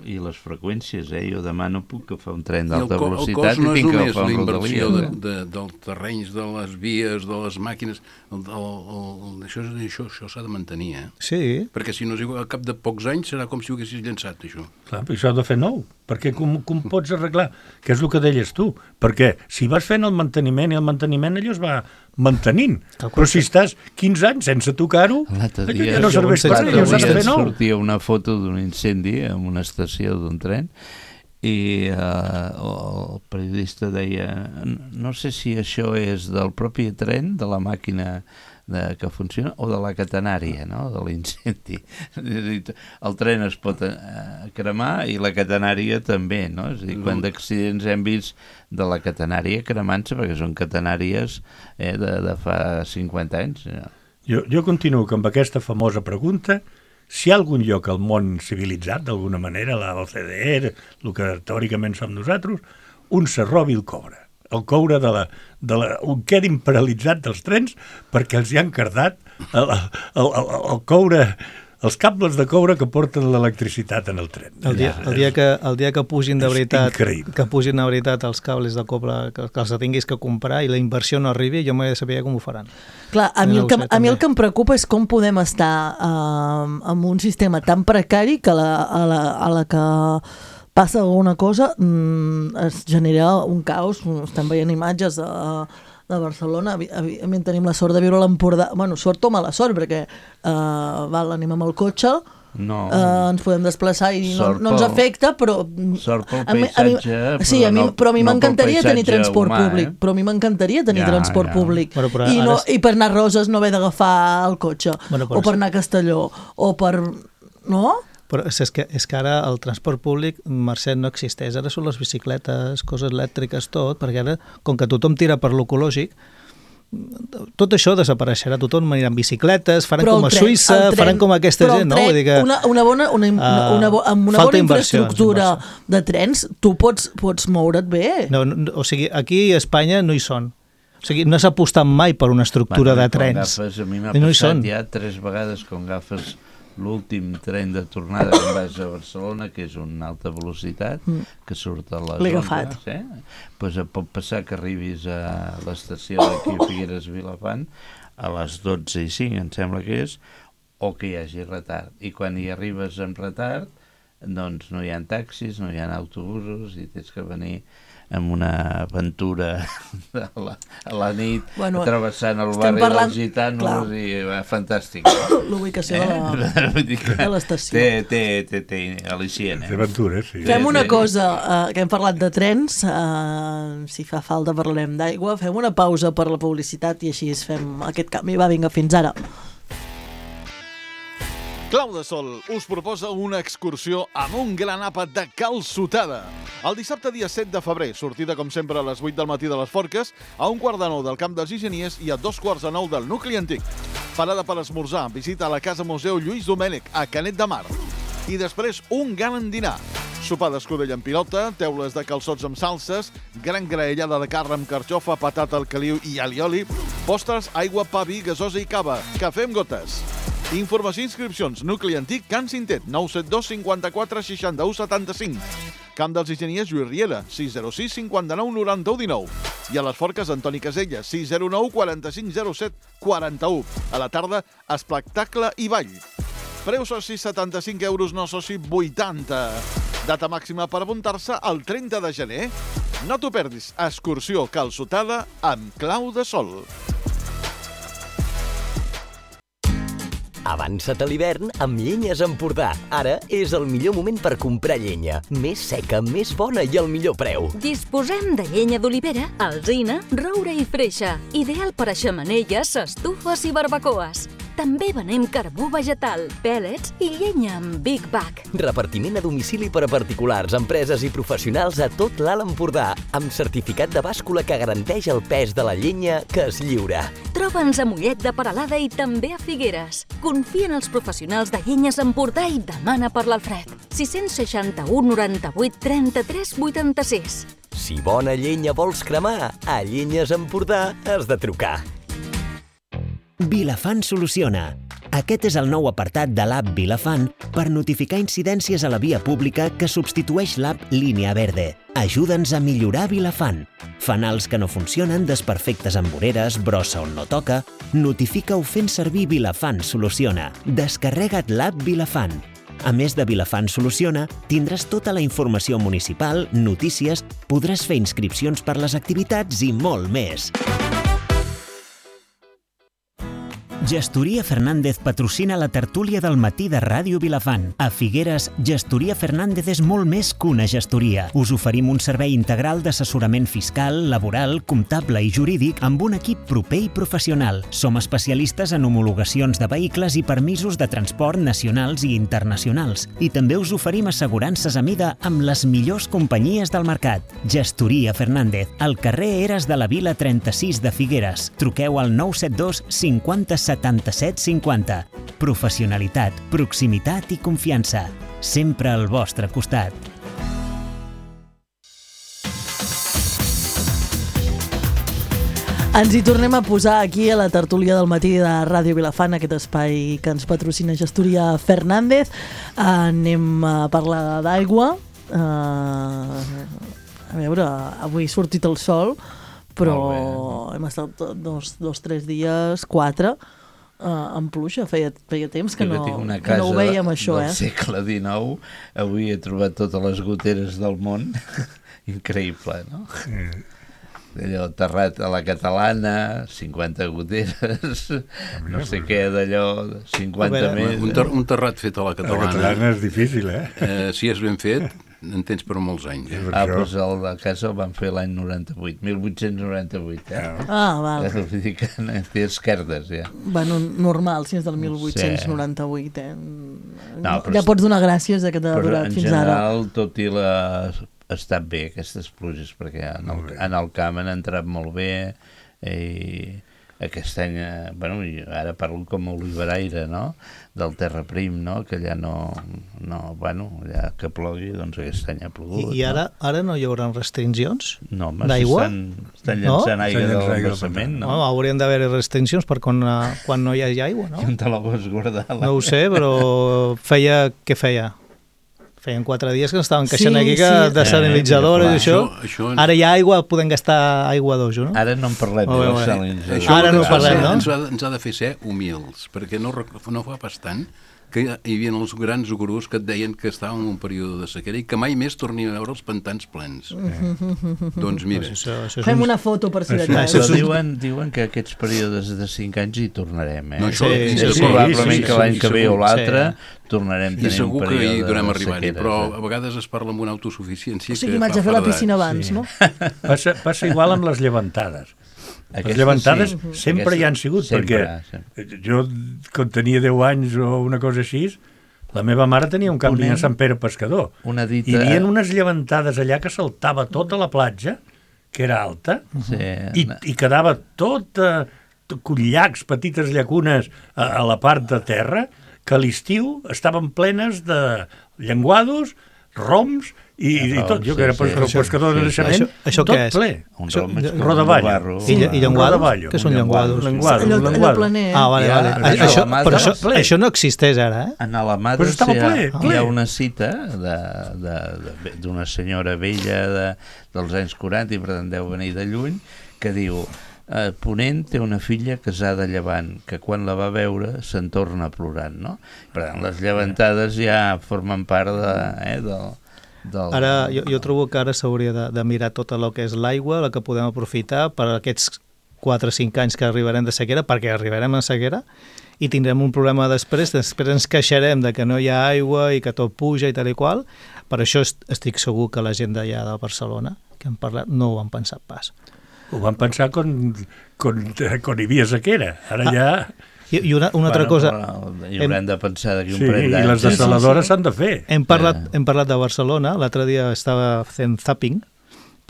I les freqüències, eh? Jo demà no puc que fa un tren d'alta I velocitat i, no i tinc que la fa un inversió Rodalia. de, de, dels terrenys, de les vies, de les màquines, el, el, el, això, això, això s'ha de mantenir, eh? Sí. Perquè si no, a cap de pocs anys serà com si ho haguessis llençat, això. Clar, però això ha de fer nou, perquè com, com pots arreglar? Que és el que deies tu, perquè si vas fent el manteniment i el manteniment allò es va mantenint, però si estàs quinze anys sense tocar-ho, allò ja no serveix per allò s'ha de fer nou. Sortia una foto d'un incendi en una estació d'un tren i uh, el periodista deia no sé si això és del propi tren, de la màquina de, que funciona, o de la catenària, no? De l'incendi. El tren es pot eh, cremar i la catenària també, no? És a dir, quan d'accidents hem vist de la catenària cremant-se, perquè són catenàries eh, de, de fa cinquanta anys. No? Jo, jo continuo amb aquesta famosa pregunta: si hi ha algun lloc al món civilitzat, d'alguna manera, la O C D E, el que teòricament som nosaltres, on se robi el coure. El coure de la, de la, on quedin paralitzat dels trens perquè els hi han cardat el, el, el, el coure, els cables de coure que porten l'electricitat en el tren. El dia, el dia, que, el dia que pugin de veritat, increïble. que pugin de veritat els cables de cobre, que, que els tinguis que comprar i la inversió no arribi, jo m'he de saber com ho faran. Clar, a mi, el que, a mi el que em preocupa és com podem estar uh, amb un sistema tan precari que la, a, la, a la que passa alguna cosa, mmm, es genera un caos. Estem veient imatges de, de Barcelona, evidentment tenim la sort de viure a l'Empordà, bueno, sort o mala sort, perquè uh, val, anem amb el cotxe, no. uh, ens podem desplaçar i no, no ens afecta, però... Sort pel paisatge, a mi, sí, a mi, no, però a mi no m'encantaria tenir transport humà, públic, eh? però a mi m'encantaria tenir ja, transport ja. públic, bueno, I, no, ara... i per anar a Roses no haver d'agafar el cotxe, bueno, o per anar a Castelló, o per... no? Però és que, és que ara el transport públic, Mercè, no existeix. Ara són les bicicletes, coses elèctriques, tot, perquè ara, com que tothom tira per l'ecològic, tot això desapareixerà, tothom anirà amb bicicletes, faran però com a tren, Suïssa, faran com aquesta gent, no? Vull dir que, una, una bona, una, una, una, bo, amb una bona infraestructura de trens, tu pots, pots moure't bé. No, no, o sigui, aquí a Espanya no hi són. O sigui, no s'ha apostat mai per una estructura bueno, de trens. Agafes, a mi m'ha no passat ja tres vegades quan agafes l'últim tren de tornada que vas a Barcelona, que és una alta velocitat, mm. que surt a les onze, eh? Pues pot passar que arribis a l'estació d'aquí a Figueres Vilafant a les dotze i cinc, em sembla que és, o que hi hagi retard. I quan hi arribes en retard, doncs no hi ha taxis, no hi ha autobusos i tens que venir amb una aventura a la, a la nit, bueno, travessant el barri parlant, dels gitanos, clar. I va, fantàstic. L'ubicació eh? de l'estació. Té, té, té, té al·licient. Eh? Té aventura, sí. Fem una cosa, uh, que hem parlat de trens, uh, si fa falta parlarem d'aigua, fem una pausa per la publicitat i així fem aquest canvi. Va, vinga, fins ara. Clau de Sol us proposa una excursió amb un gran àpat de calçotada. El dissabte dia set de febrer, sortida com sempre a les vuit del matí de les Forques, a un quart de nou del Camp dels Ingeniers i a dos quarts de nou del nucli antic. Parada per esmorzar, visita a la Casa Museu Lluís Domènech, a Canet de Mar. I després un gran dinar. Sopar d'escudella amb pilota, teules de calçots amb salses, gran graellada de carn amb carxofa, patata al caliu i alioli, postres, aigua, pa, vi, gasosa i cava, cafè amb gotes. Informació i inscripcions, nucli antic, Can Cintet, nou set dos cinquanta-quatre seixanta-u setanta-cinc. Camp dels Ingeniers, Lluís Riera, sis zero sis cinquanta-nou noranta-u dinou. I a les Forques, Antoni Casella, sis zero nou quaranta-cinc zero set quaranta-u. A la tarda, espectacle i ball. Preu soci setanta-cinc euros, no soci vuitanta. Data màxima per apuntar-se el trenta de gener. No t'ho perdis, excursió calçotada amb Clau de Sol. Avança't a l'hivern amb Llenyes Empordà. Ara és el millor moment per comprar llenya. Més seca, més bona i al millor preu. Disposem de llenya d'olivera, alzina, roure i freixa. Ideal per a xemeneies, estufes i barbacoes. També venem carbó vegetal, pèl·lets i llenya amb Big Bag. Repartiment a domicili per a particulars, empreses i professionals a tot l'Alt Empordà, amb certificat de bàscula que garanteix el pes de la llenya que es lliura. Troba'ns a Mollet de Peralada i també a Figueres. Confia en els professionals de Llenyes Empordà i demana per l'Alfred. sis seixanta-u noranta-vuit trenta-tres vuitanta-sis. Si bona llenya vols cremar, a Llenyes Empordà has de trucar. Vilafant soluciona. Aquest és el nou apartat de l'app Vilafant per notificar incidències a la via pública que substitueix l'app Línia Verde. Ajuda'ns a millorar Vilafant. Fanals que no funcionen, desperfectes amb voreres, brossa on no toca... Notifica-ho fent servir Vilafant Soluciona. Descarrega't l'app Vilafant. A més de Vilafant Soluciona, tindràs tota la informació municipal, notícies, podràs fer inscripcions per les activitats i molt més. Gestoria Fernández patrocina la tertúlia del matí de Ràdio Vilafant. A Figueres, Gestoria Fernández és molt més que una gestoria. Us oferim un servei integral d'assessorament fiscal, laboral, comptable i jurídic amb un equip proper i professional. Som especialistes en homologacions de vehicles i permisos de transport nacionals i internacionals. I també us oferim assegurances a mida amb les millors companyies del mercat. Gestoria Fernández, al carrer Eres de la Vila trenta-sis de Figueres. Truqueu al nou set dos cinquanta setanta-set cinquanta. Professionalitat, proximitat i confiança. Sempre al vostre costat. Ens hi tornem a posar aquí a la tertúlia del matí de Ràdio Vilafant, aquest espai que ens patrocina Gestoria Fernández. Anem a parlar d'aigua. Uh, a veure, avui ha sortit el sol, però hem estat dos, dos tres dies, quatre, Uh, en pluja, feia, feia temps que no, que no ho veiem, això, eh? Del segle dinou, avui he trobat totes les goteres del món. Increïble, no? Mm. Allò terrat a la catalana, cinquanta goteres, no sé què, d'allò, cinquanta més. Un, ter un terrat fet a la catalana. La catalana és difícil, eh? eh si és ben fet, en tens per molts anys. Eh? Ah, doncs el de casa el van fer l'any noranta-vuit, mil vuit-cents noranta-vuit, eh? Ah, val. Vull dir que té esquerdes, ja. Bueno, normal, si és del mil vuit-cents noranta-vuit, eh? No, ja pots donar gràcies de que t'ha durat fins ara. Però en general, tot i la... ha estat bé aquestes pluges, perquè en el, en el camp han entrat molt bé, i aquest any, bueno, ara parlo com a oliveraire, no?, del terra prim, no?, que allà no, no bueno, allà que plogui, doncs aquest any ha plogut. I, i ara, no? ara no hi haurà restriccions no, d'aigua? Estan, estan llançant no? aigua de l'embassament, no? no? Haurien d'haver restriccions per quan, quan no hi hagi aigua, no? I on te la vols guardar? La... No ho sé, però feia... Què feia? Feien quatre dies que ens estaven queixant sí, aquí que sí. desalinitzadores i això. Això, això ens... Ara hi ha aigua, podem gastar aigua d'uso, no? Ara no en parlem oh, de desalinitzadores. Ara no parlem, no? Ens ha, ens ha de fer ser humils, perquè no, no fa pas tant que hi havia els grans gurus que et deien que estàvem en un període de sequera i que mai més tornin a veure els pantans plens. Eh. Doncs mira. Pues això, això fem un... una foto per si de cas. Però diuen, diuen que aquests períodes de cinc anys hi tornarem, eh? No, això, sí, sí, sí, sí, probablement sí, sí, que l'any sí, que ve o l'altre sí. tornarem a tenir un període de sequera. I segur que hi durem arribar-hi, però a vegades es parla amb una autosuficiència. O sigui, m'haig de fer la piscina abans, sí. no? Passa, passa igual amb les llevantades. Aquestes, les llevantades sí. sempre Aquestes, hi han sigut, sempre, perquè sempre. Jo, quan tenia deu anys o una cosa així, la meva mare tenia un camping a Sant Pere Pescador. Una dita... Hi havia unes llevantades allà que saltava tota la platja, que era alta, sí. i, i quedava tota, tot llacs, petites llacunes a, a la part de terra, que a l'estiu estaven plenes de llenguados, roms i, i tot. Jo que era sí, sí. pescador de naixement, això, tot què és? ple. Un rom és rodaballo. I, i llenguados? Què són llenguados? Llenguados, allò, allò planer. Ah, vale, vale. Ja, això, però això, això no existeix ara, eh? En Alamada pues hi, ha, ple, ple. hi ha una cita d'una senyora vella de, dels anys quaranta, i per tant deu venir de lluny, que diu... Eh, Ponent té una filla casada a Llevant, que quan la va veure se'n torna plorant, no? Per tant, les llevantades ja formen part de, eh, del, del... Ara, jo, jo trobo que ara s'hauria de, de mirar tot el que és l'aigua, la que podem aprofitar per aquests quatre o cinc anys que arribarem de sequera, perquè arribarem a sequera, i tindrem un problema després, després ens queixarem de que no hi ha aigua i que tot puja i tal i qual. Per això estic segur que la gent d'allà de Barcelona, que han parlat, no ho han pensat pas. Ho van pensar quan, quan, quan hi havia sequera. Ara ah, ja... I, i una, una altra cosa... Hi haurem de pensar d'aquí un sí, parell d'anys. I les desaladores s'han sí, sí. de fer. Hem parlat, eh. hem parlat de Barcelona. L'altre dia estava fent zapping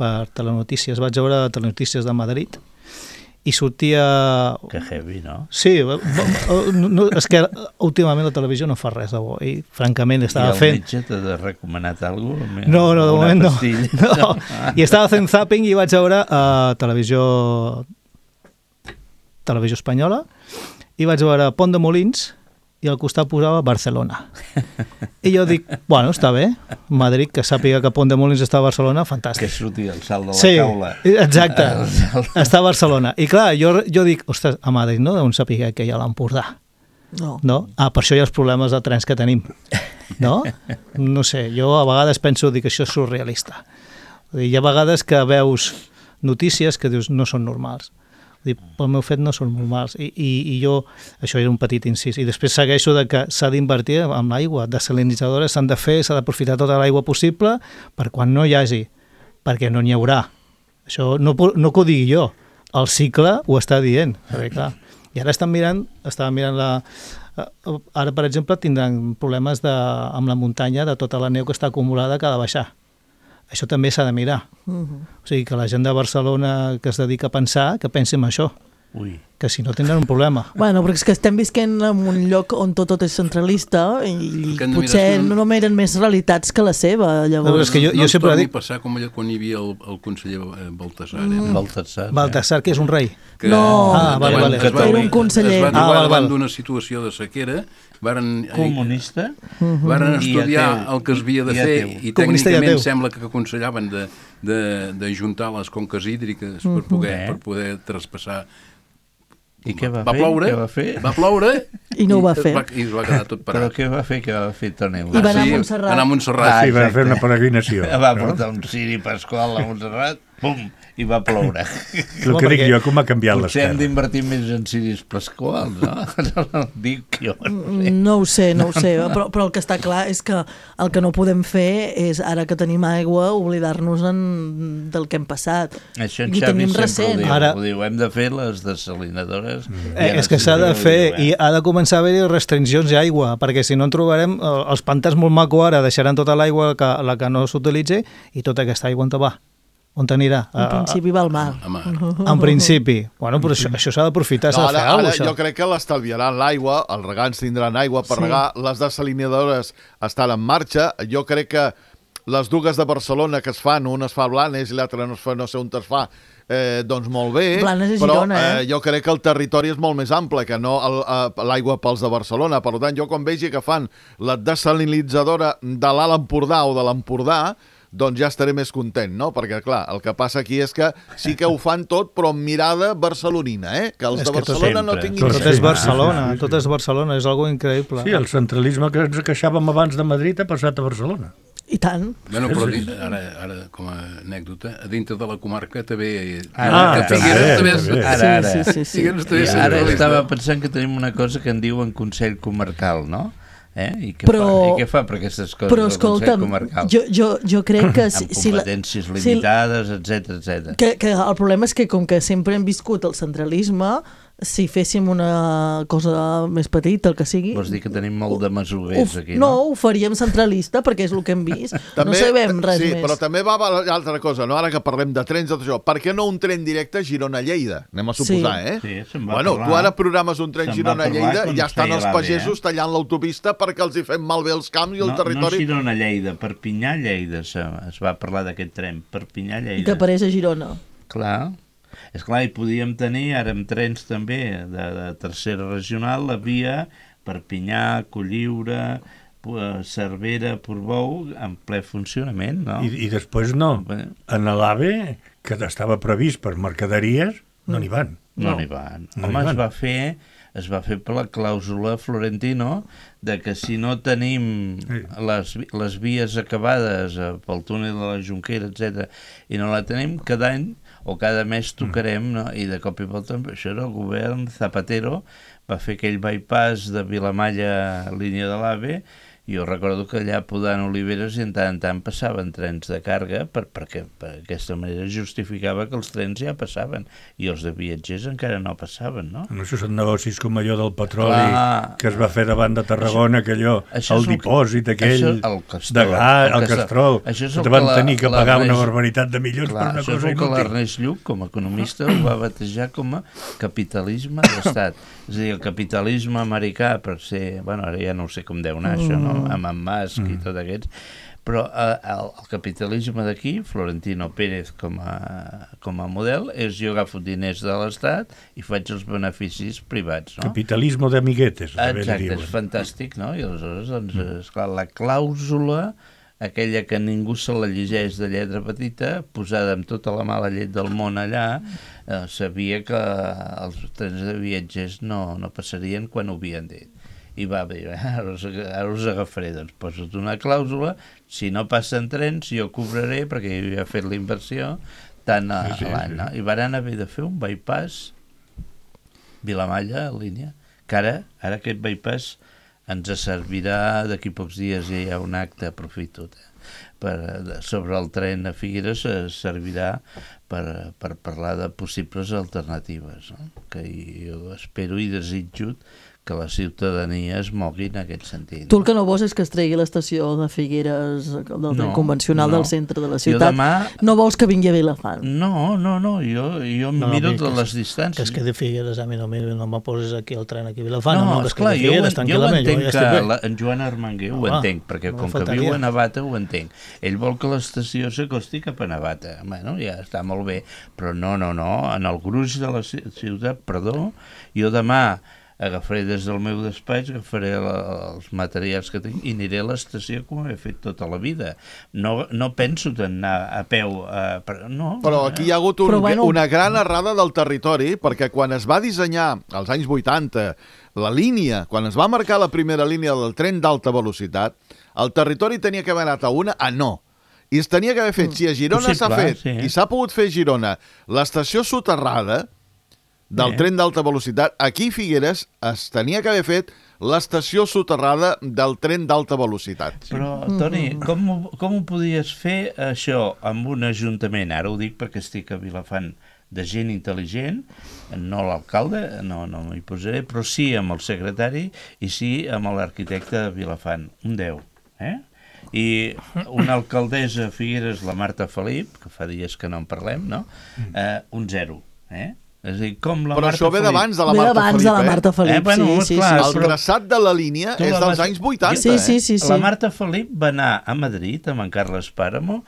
per Telenotícies. Vaig veure Telenotícies de Madrid i sortia... Que heavy, no? Sí, no, no, és que últimament la televisió no fa res de bo, i francament estava fent... I el metge t'ha recomanat alguna cosa? No, no, de moment no. no. I estava fent zapping i vaig veure uh, televisió televisió espanyola, i vaig veure Pont de Molins, i al costat posava Barcelona. I jo dic, bueno, està bé, Madrid, que sàpiga que Pont de Molins està a Barcelona, fantàstic. Que surti el salt de la sí, taula. Exacte, està a Barcelona. I clar, jo, jo dic, ostres, a Madrid no deuen saber que hi ha l'Empordà. No. no. Ah, per això hi ha els problemes de trens que tenim. No? No sé, jo a vegades penso que això és surrealista. Hi ha vegades que veus notícies que dius no són normals. Dic, pel meu fet no són molt mals. I, i, i jo, això era un petit incís. I després segueixo de que s'ha d'invertir amb l'aigua. Desalinitzadores s'han de fer, s'ha d'aprofitar tota l'aigua possible per quan no hi hagi, perquè no n'hi haurà. Això no, no que ho digui jo, el cicle ho està dient. Perquè, clar, i ara estan mirant, estaven mirant la... Ara, per exemple, tindran problemes de, amb la muntanya de tota la neu que està acumulada que ha de baixar. Això també s'ha de mirar. Uh-huh. O sigui, que la gent de Barcelona que es dedica a pensar, que pensi en això. Ui. Que si no tindran un problema. Bueno, perquè és que estem visquent en un lloc on tot, tot és centralista i potser no, no miren més realitats que la seva. Llavors. No, és que jo, no jo sempre dic... dic... passar com allò quan hi havia el, el conseller Baltasar. Mm. Eh? Baltasar, Baltasar, que és un rei. Que, no, ah, vale, vale. Es va, era un conseller. Es va trobar ah, val, davant val. d'una situació de sequera, varen, comunista, uh-huh. varen estudiar el que es havia de fer i tècnicament sembla que aconsellaven de, de, de juntar les conques hídriques uh-huh. per, poder, per poder traspassar. I què va, va fer? Ploure, què va fer? Va ploure i no ho va fer. Va, I es va quedar tot parat. Però què va fer? Què va fer Toni? I va anar a Montserrat. Va anar a Montserrat. Ah, sí, va fer una peregrinació. Va portar un ciri pasqual a Montserrat, pum, i va ploure. El que dic jo, com ha canviat les Potser hem terres. d'invertir més en ciris pasquals, no? Dic jo. No sé, no ho sé, no ho sé. Però, però el que està clar és que el que no podem fer és, ara que tenim aigua, oblidar-nos en, del que hem passat. Això en I Xavi sempre recent. ho diu. Ara... Ho diu, hem de fer les desalinadores. Mm. Eh, és que s'ha de fer i ha de començar a haver-hi restriccions d'aigua, perquè si no en trobarem, els pantans molt maco ara deixaran tota l'aigua que, la que no s'utilitzi i tota aquesta aigua on va? On t'anirà? En principi va al mar. En principi. Bueno, però això, això s'ha d'aprofitar, s'ha No, de fer ara, alguna ara cosa. jo crec que l'estalviaran l'aigua, els regants tindran aigua per Sí. regar, les desalinadores estan en marxa, jo crec que les dues de Barcelona que es fan, una es fa a Blanes i l'altra no es fa, no sé on es fa, eh, doncs molt bé, Blanes és però Girona, eh? eh, jo crec que el territori és molt més ample que no el, eh, l'aigua pels de Barcelona. Per tant, jo quan vegi que fan la desalinitzadora de l'Alt Empordà o de l'Empordà, doncs ja estaré més content, no? Perquè, clar, el que passa aquí és que sí que ho fan tot, però amb mirada barcelonina, eh? Que els És de que tot Barcelona no sempre. tinguin... Tot és Barcelona, tot és Barcelona, és algo increïble. Sí, el centralisme que ens queixàvem abans de Madrid ha passat a Barcelona. I tant. Bueno, però ara, ara, com a anècdota, a dintre de la comarca també... Ah, que també, Figueres també és- també. Ara, ara. Sí, sí, sí, sí. Figueres també I és ara centralista. estava pensant que tenim una cosa que en diuen Consell Comarcal, no? Eh? I, què Però- fa? I què fa per aquestes coses Però el Consell escolta'm, Comarcal? jo, jo, jo crec que... Si, Amb si la, competències si- limitades, etcètera, etcètera. que, que el problema és que com que sempre hem viscut el centralisme, si féssim una cosa més petita, el que sigui... Vols dir que tenim molt de masovers ho, aquí, no, no? ho faríem centralista, perquè és el que hem vist. No sabem res sí, més. però també va a l'altra cosa, no? Ara que parlem de trens, de tot això, per què no un tren directe a Girona-Lleida? Anem a suposar, Sí. eh? Sí, se'n va Bueno, parlar. tu ara programes un tren Se'n va Girona-Lleida parlar i quan ja estan feia els l'AVE, pagesos eh? tallant l'autopista perquè els hi fem malbé els camps i el no, territori... No Girona-Lleida, Perpinyà-Lleida es, es va parlar d'aquest tren, I que Perpinyà-Lleida. apareix a Girona. Clar, és clar, i podíem tenir ara amb trens també de, de tercera regional la via Perpinyà, Colliure, Cervera, Portbou en ple funcionament, no? I, i després no. Bé. En l'AVE, que estava previst per mercaderies, no n'hi van. No n'hi van. No Home, n'hi es van. va fer es va fer per la clàusula Florentino de que si no tenim Sí. les, vi- les vies acabades eh, pel túnel de la Jonquera, etcètera, i no la tenim, cada any o cada mes tocarem, no? I de cop i volta, això era el govern Zapatero, va fer aquell bypass de Vilamalla, línia de l'AVE, i jo recordo que allà podant oliveres i en tant en tant passaven trens de càrrega per, perquè per aquesta manera justificava que els trens ja passaven i els de viatgers encara no passaven, no? No, això són negocis com allò del petroli Clar. que es va fer davant de Tarragona, això, que allò, això el és el que- dipòsit aquell això- el Castrol, de gas, el el Castrol. Castrol, Això és que el te van que la- tenir que la pagar una Reis- barbaritat de milions Clar, per una això és cosa el que inútil. l'Ernest Lluch, com a economista, ho va batejar com a capitalisme d'estat. És a dir, el capitalisme americà, per ser... Bueno, ara ja no sé com deu anar això, no? Amb en Musk i tot aquests. Però eh, el, el capitalisme d'aquí, Florentino Pérez com a, com a model, és jo agafo diners de l'Estat i faig els beneficis privats, no? Capitalisme d'amiguetes, també Exacte, diuen. és fantàstic, no? I aleshores, doncs, esclar, la clàusula, aquella que ningú se la llegeix de lletra petita, posada amb tota la mala llet del món allà, eh, sabia que els trens de viatgers no, no passarien quan ho havien dit. I va bé, ara us, ara us agafaré, doncs posa't una clàusula, si no passen trens jo cobraré, perquè jo ja he fet la inversió, tant a, Sí, sí, a l'any, sí. no? I van haver de fer un bypass Vilamalla, en línia, que ara, ara aquest bypass ens servirà, d'aquí pocs dies ja hi ha un acte, aprofito, eh? Per, sobre el tren a Figueres servirà per, per parlar de possibles alternatives, no? Que jo espero i desitjo que la ciutadania es mogui en aquest sentit. Tu el que no vols és que es tregui l'estació de Figueres del tren no, convencional no. del centre de la ciutat. Demà... No vols que vingui a Vilafant? No, no, no, jo, jo no, miro no, les distàncies. Que es quedi Figueres, a mi no, no me poses aquí el tren aquí a Vilafant. No, no esclar, jo, jo ho entenc que la, en Joan Armenguer ho ah, entenc, perquè no com que faltaria. Viu a Navata ho entenc. Ell vol que l'estació s'acosti cap a Navata. Bueno, ja està molt bé, però no, no, no, en el gruix de la ciutat, perdó, jo demà agafaré des del meu despatx, agafaré la, els materials que tinc i aniré a l'estació com he fet tota la vida. No, no penso d'anar a peu. A, per, no, Però aquí hi ha hagut un, bueno... una gran errada del territori, perquè quan es va dissenyar, als anys vuitanta, la línia, quan es va marcar la primera línia del tren d'alta velocitat, el territori tenia que haver anat a una a no. I es tenia que haver fet, si a Girona s'ha fet, sí. i s'ha pogut fer a Girona, l'estació soterrada del eh. tren d'alta velocitat, aquí a Figueres es tenia que haver fet l'estació soterrada del tren d'alta velocitat. Però, Toni, com, com ho podies fer això amb un ajuntament? Ara ho dic perquè estic a Vilafant de gent intel·ligent, no l'alcalde, no, no m'hi posaré, però sí amb el secretari i sí amb l'arquitecte de Vilafant, un deu, eh? I una alcaldessa a Figueres, la Marta Felip, que fa dies que no en parlem, no? Eh, un zero, eh? És a dir, com la Però Marta això ve d'abans de la Ve Marta d'abans Felip, de la Marta Felip, eh? Eh, bueno, sí, sí, clar, sí. El traçat de la línia és dels anys vuitanta, sí, sí, sí, sí. La Marta Felip va anar a Madrid, amb en Carles Páramo,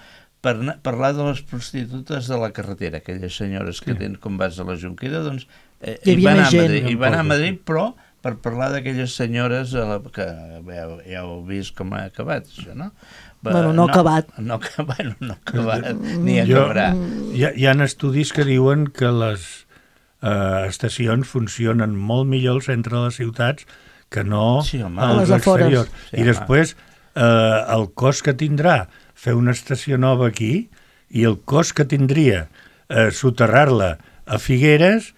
per parlar de les prostitutes de la carretera, aquelles senyores que tenen com vas a la Jonquera, doncs eh, hi, hi va anar a Madrid, hi va anar a Madrid, però per parlar d'aquelles senyores a la, que ja, ja heu vist com ha acabat, això, no? Bueno, no, no acabat. No, bueno, no acabat, ni acabarà. Hi ha, hi ha estudis que diuen que les eh, estacions funcionen molt millor al centre de les ciutats que no sí, home, als exteriors. Sí, I home. després eh, el cost que tindrà fer una estació nova aquí i el cost que tindria eh, soterrar-la a Figueres,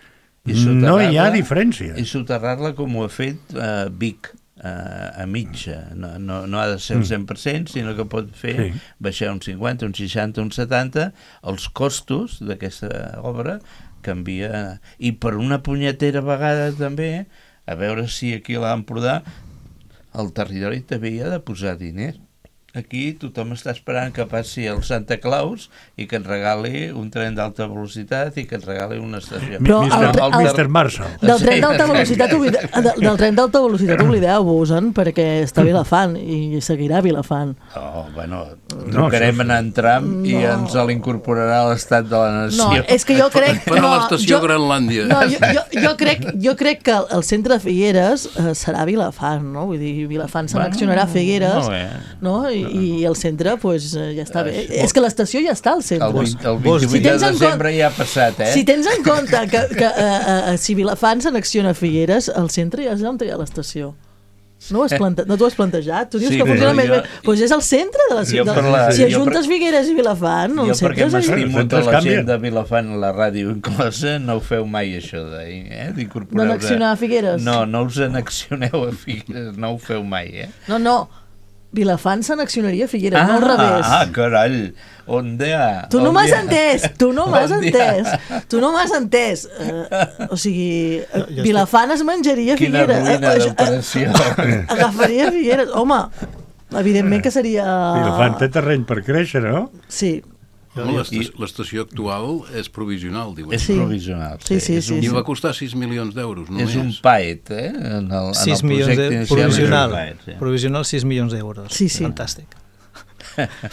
no hi ha diferència. I soterrar-la com ho ha fet eh, Vic, a mitja, no, no, no ha de ser el cent per cent, sinó que pot fer sí. baixar un cinquanta, un seixanta, un setanta, els costos d'aquesta obra canvia, i per una punyetera vegada també, a veure si aquí a l'Empordà el territori també hi ha de posar diners. Aquí tothom està esperant que passi el Santa Claus i que et regali un tren d'alta velocitat i que et regali una estació. Però el, el, el mister Marshall. Del tren d'alta velocitat, oblide, del tren d'alta velocitat oblideu-vos-en, perquè està a Vilafant i seguirà a Vilafant. Oh, bueno, trucarem no, en tram no. i ens l'incorporarà a l'estat de la nació. No, és que jo crec... Per no, a l'estació jo, Granlàndia. No, jo, jo, jo, crec, jo crec que el centre de Figueres eh, serà Vilafant, no? Vull dir, Vilafant s'annexionarà a Figueres, no? I, i el centre, pues, ja està bé. Uh, és que l'estació ja està al centre. El, el vint-i-vuit de desembre ja ha passat, eh? Si tens en compte que, que uh, uh, si Vilafant s'annexiona a Figueres, el centre ja és on hi ha l'estació. No, ho has plante... no t'ho has plantejat? Tu dius sí, que funciona més bé. Doncs pues és el centre de la ciutat. La... Si ajuntes per... Figueres i Vilafant, el centre és... Jo perquè m'estimo de la gent de Vilafant, la ràdio inclosa, no ho feu mai això d'incorporar... Eh? D'annexionar a Figueres? No, no us annexioneu a Figueres, no ho feu mai, eh? No, no. Vilafant s'annexionaria a Figueres, ah, no al revés. Ah, carai, on dia? Tu no m'has entès, tu no m'has entès, tu no m'has entès. Uh, o sigui, uh, Vilafant es menjaria a Figueres. Quina ruïna d'operació. Agafaria Figueres. Home, evidentment que seria... Vilafant té terreny per créixer, no? Sí. L'estació actual és provisional, diuen. És sí. provisional, sí. sí, sí, sí, I sí. va costar sis milions d'euros, només. És un paet, eh? En el, sis en el milions de... provisional. Paet, sí. Provisional, sis milions d'euros. Sí, sí. Fantàstic.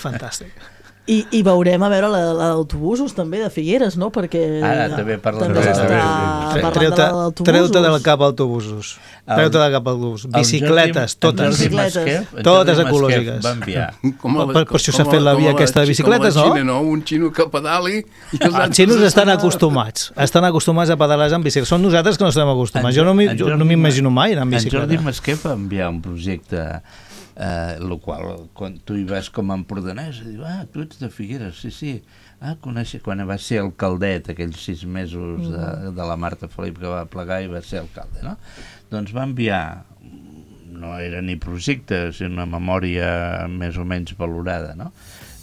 Fantàstic. I, i veurem a veure d'autobusos també de Figueres, no? Perquè ara també parla també de l'autobús. Treu-te de la cap autobusos. Treu-te de la cap autobusos. Bicicletes, totes. Totes ecològiques. Per això s'ha fet la via aquesta de bicicletes, no? Un xino que pedali... Els xinos estan acostumats. Estan acostumats a pedalar amb bicicleta. Som nosaltres que no estem acostumats. Jo no m'imagino mai anar amb bicicleta. En Jordi Masquer va enviar un projecte... Uh, el qual, quan tu hi vas com a empordanès, diu, ah, tu ets de Figueres, sí, sí, Ah, conèixer, quan va ser alcaldet, aquells sis mesos de, de la Marta Felip que va plegar i va ser alcalde, no? Doncs va enviar, no era ni projecte, sinó una memòria més o menys valorada, no?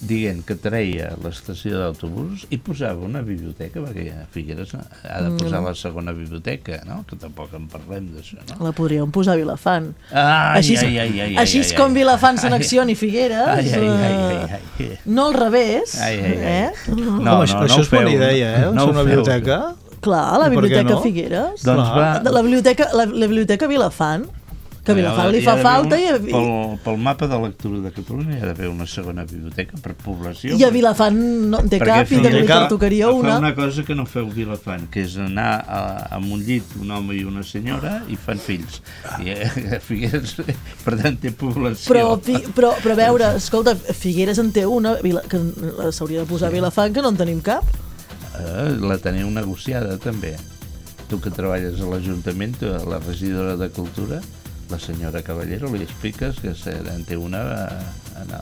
Dient que treia l'estació d'autobús i posava una biblioteca, perquè a Figueres ha de posar la segona biblioteca, no? Que tampoc en parlem d'això, no? La podríem posar a Vilafant. Ai, així ai, ai, ai, així ai, ai, com ai. Vilafant seleccioni Figueres, ai, ai, ai, ai, ai. no al revés. Ai, ai, ai. Eh? No, no, això, no, això no és bona feu, idea, eh? no una feu. Clar, biblioteca. la I per què biblioteca no? Figueres. Doncs va... La biblioteca, la, la biblioteca Vilafant, que a Vilafant li fa falta. Una, I a, pel, pel mapa de lectura de Catalunya hi ha d'haver una segona biblioteca per població. I a Vilafant no en té cap i també li tocaria una. Fa una cosa que no feu Vilafant, que és anar a, a un llit un home i una senyora i fan fills. I a Figueres, per tant, té població. Però, però, però a veure, escolta, Figueres en té una, que s'hauria de posar a Vilafant, que no en tenim cap. Eh, la teniu negociada, també. Tu que treballes a l'Ajuntament, la regidora de Cultura, la senyora Caballero, li expliques que en té una... No,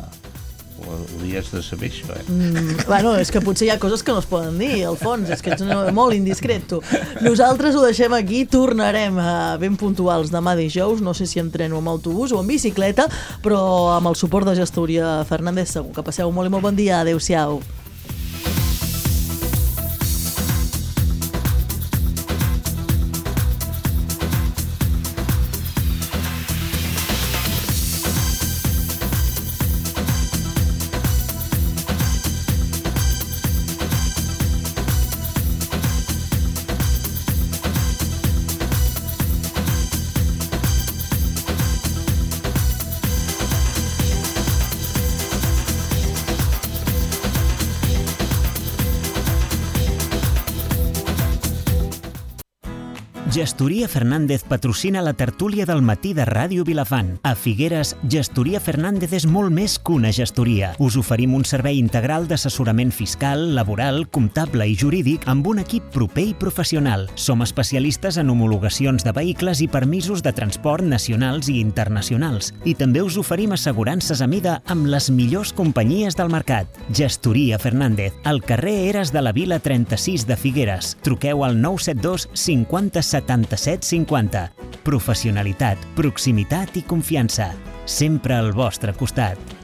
ho hauries de saber, això, eh? Mm, bueno, és que potser hi ha coses que no es poden dir, al fons, és que ets molt indiscret, tu. Nosaltres ho deixem aquí, tornarem a ben puntuals demà dijous, no sé si en tren o amb autobús o en bicicleta, però amb el suport de Gestoria Fernández segur. Que passeu molt i molt bon dia, adeu-siau. Gestoria Fernández patrocina la tertúlia del matí de Ràdio Vilafant. A Figueres, Gestoria Fernández és molt més que una gestoria. Us oferim un servei integral d'assessorament fiscal, laboral, comptable i jurídic amb un equip proper i professional. Som especialistes en homologacions de vehicles i permisos de transport nacionals i internacionals. I també us oferim assegurances a mida amb les millors companyies del mercat. Gestoria Fernández, al carrer Eres de la Vila trenta-sis de Figueres. Truqueu al nou set dos cinquanta setanta-set cinquanta. Professionalitat, proximitat i confiança. Sempre al vostre costat.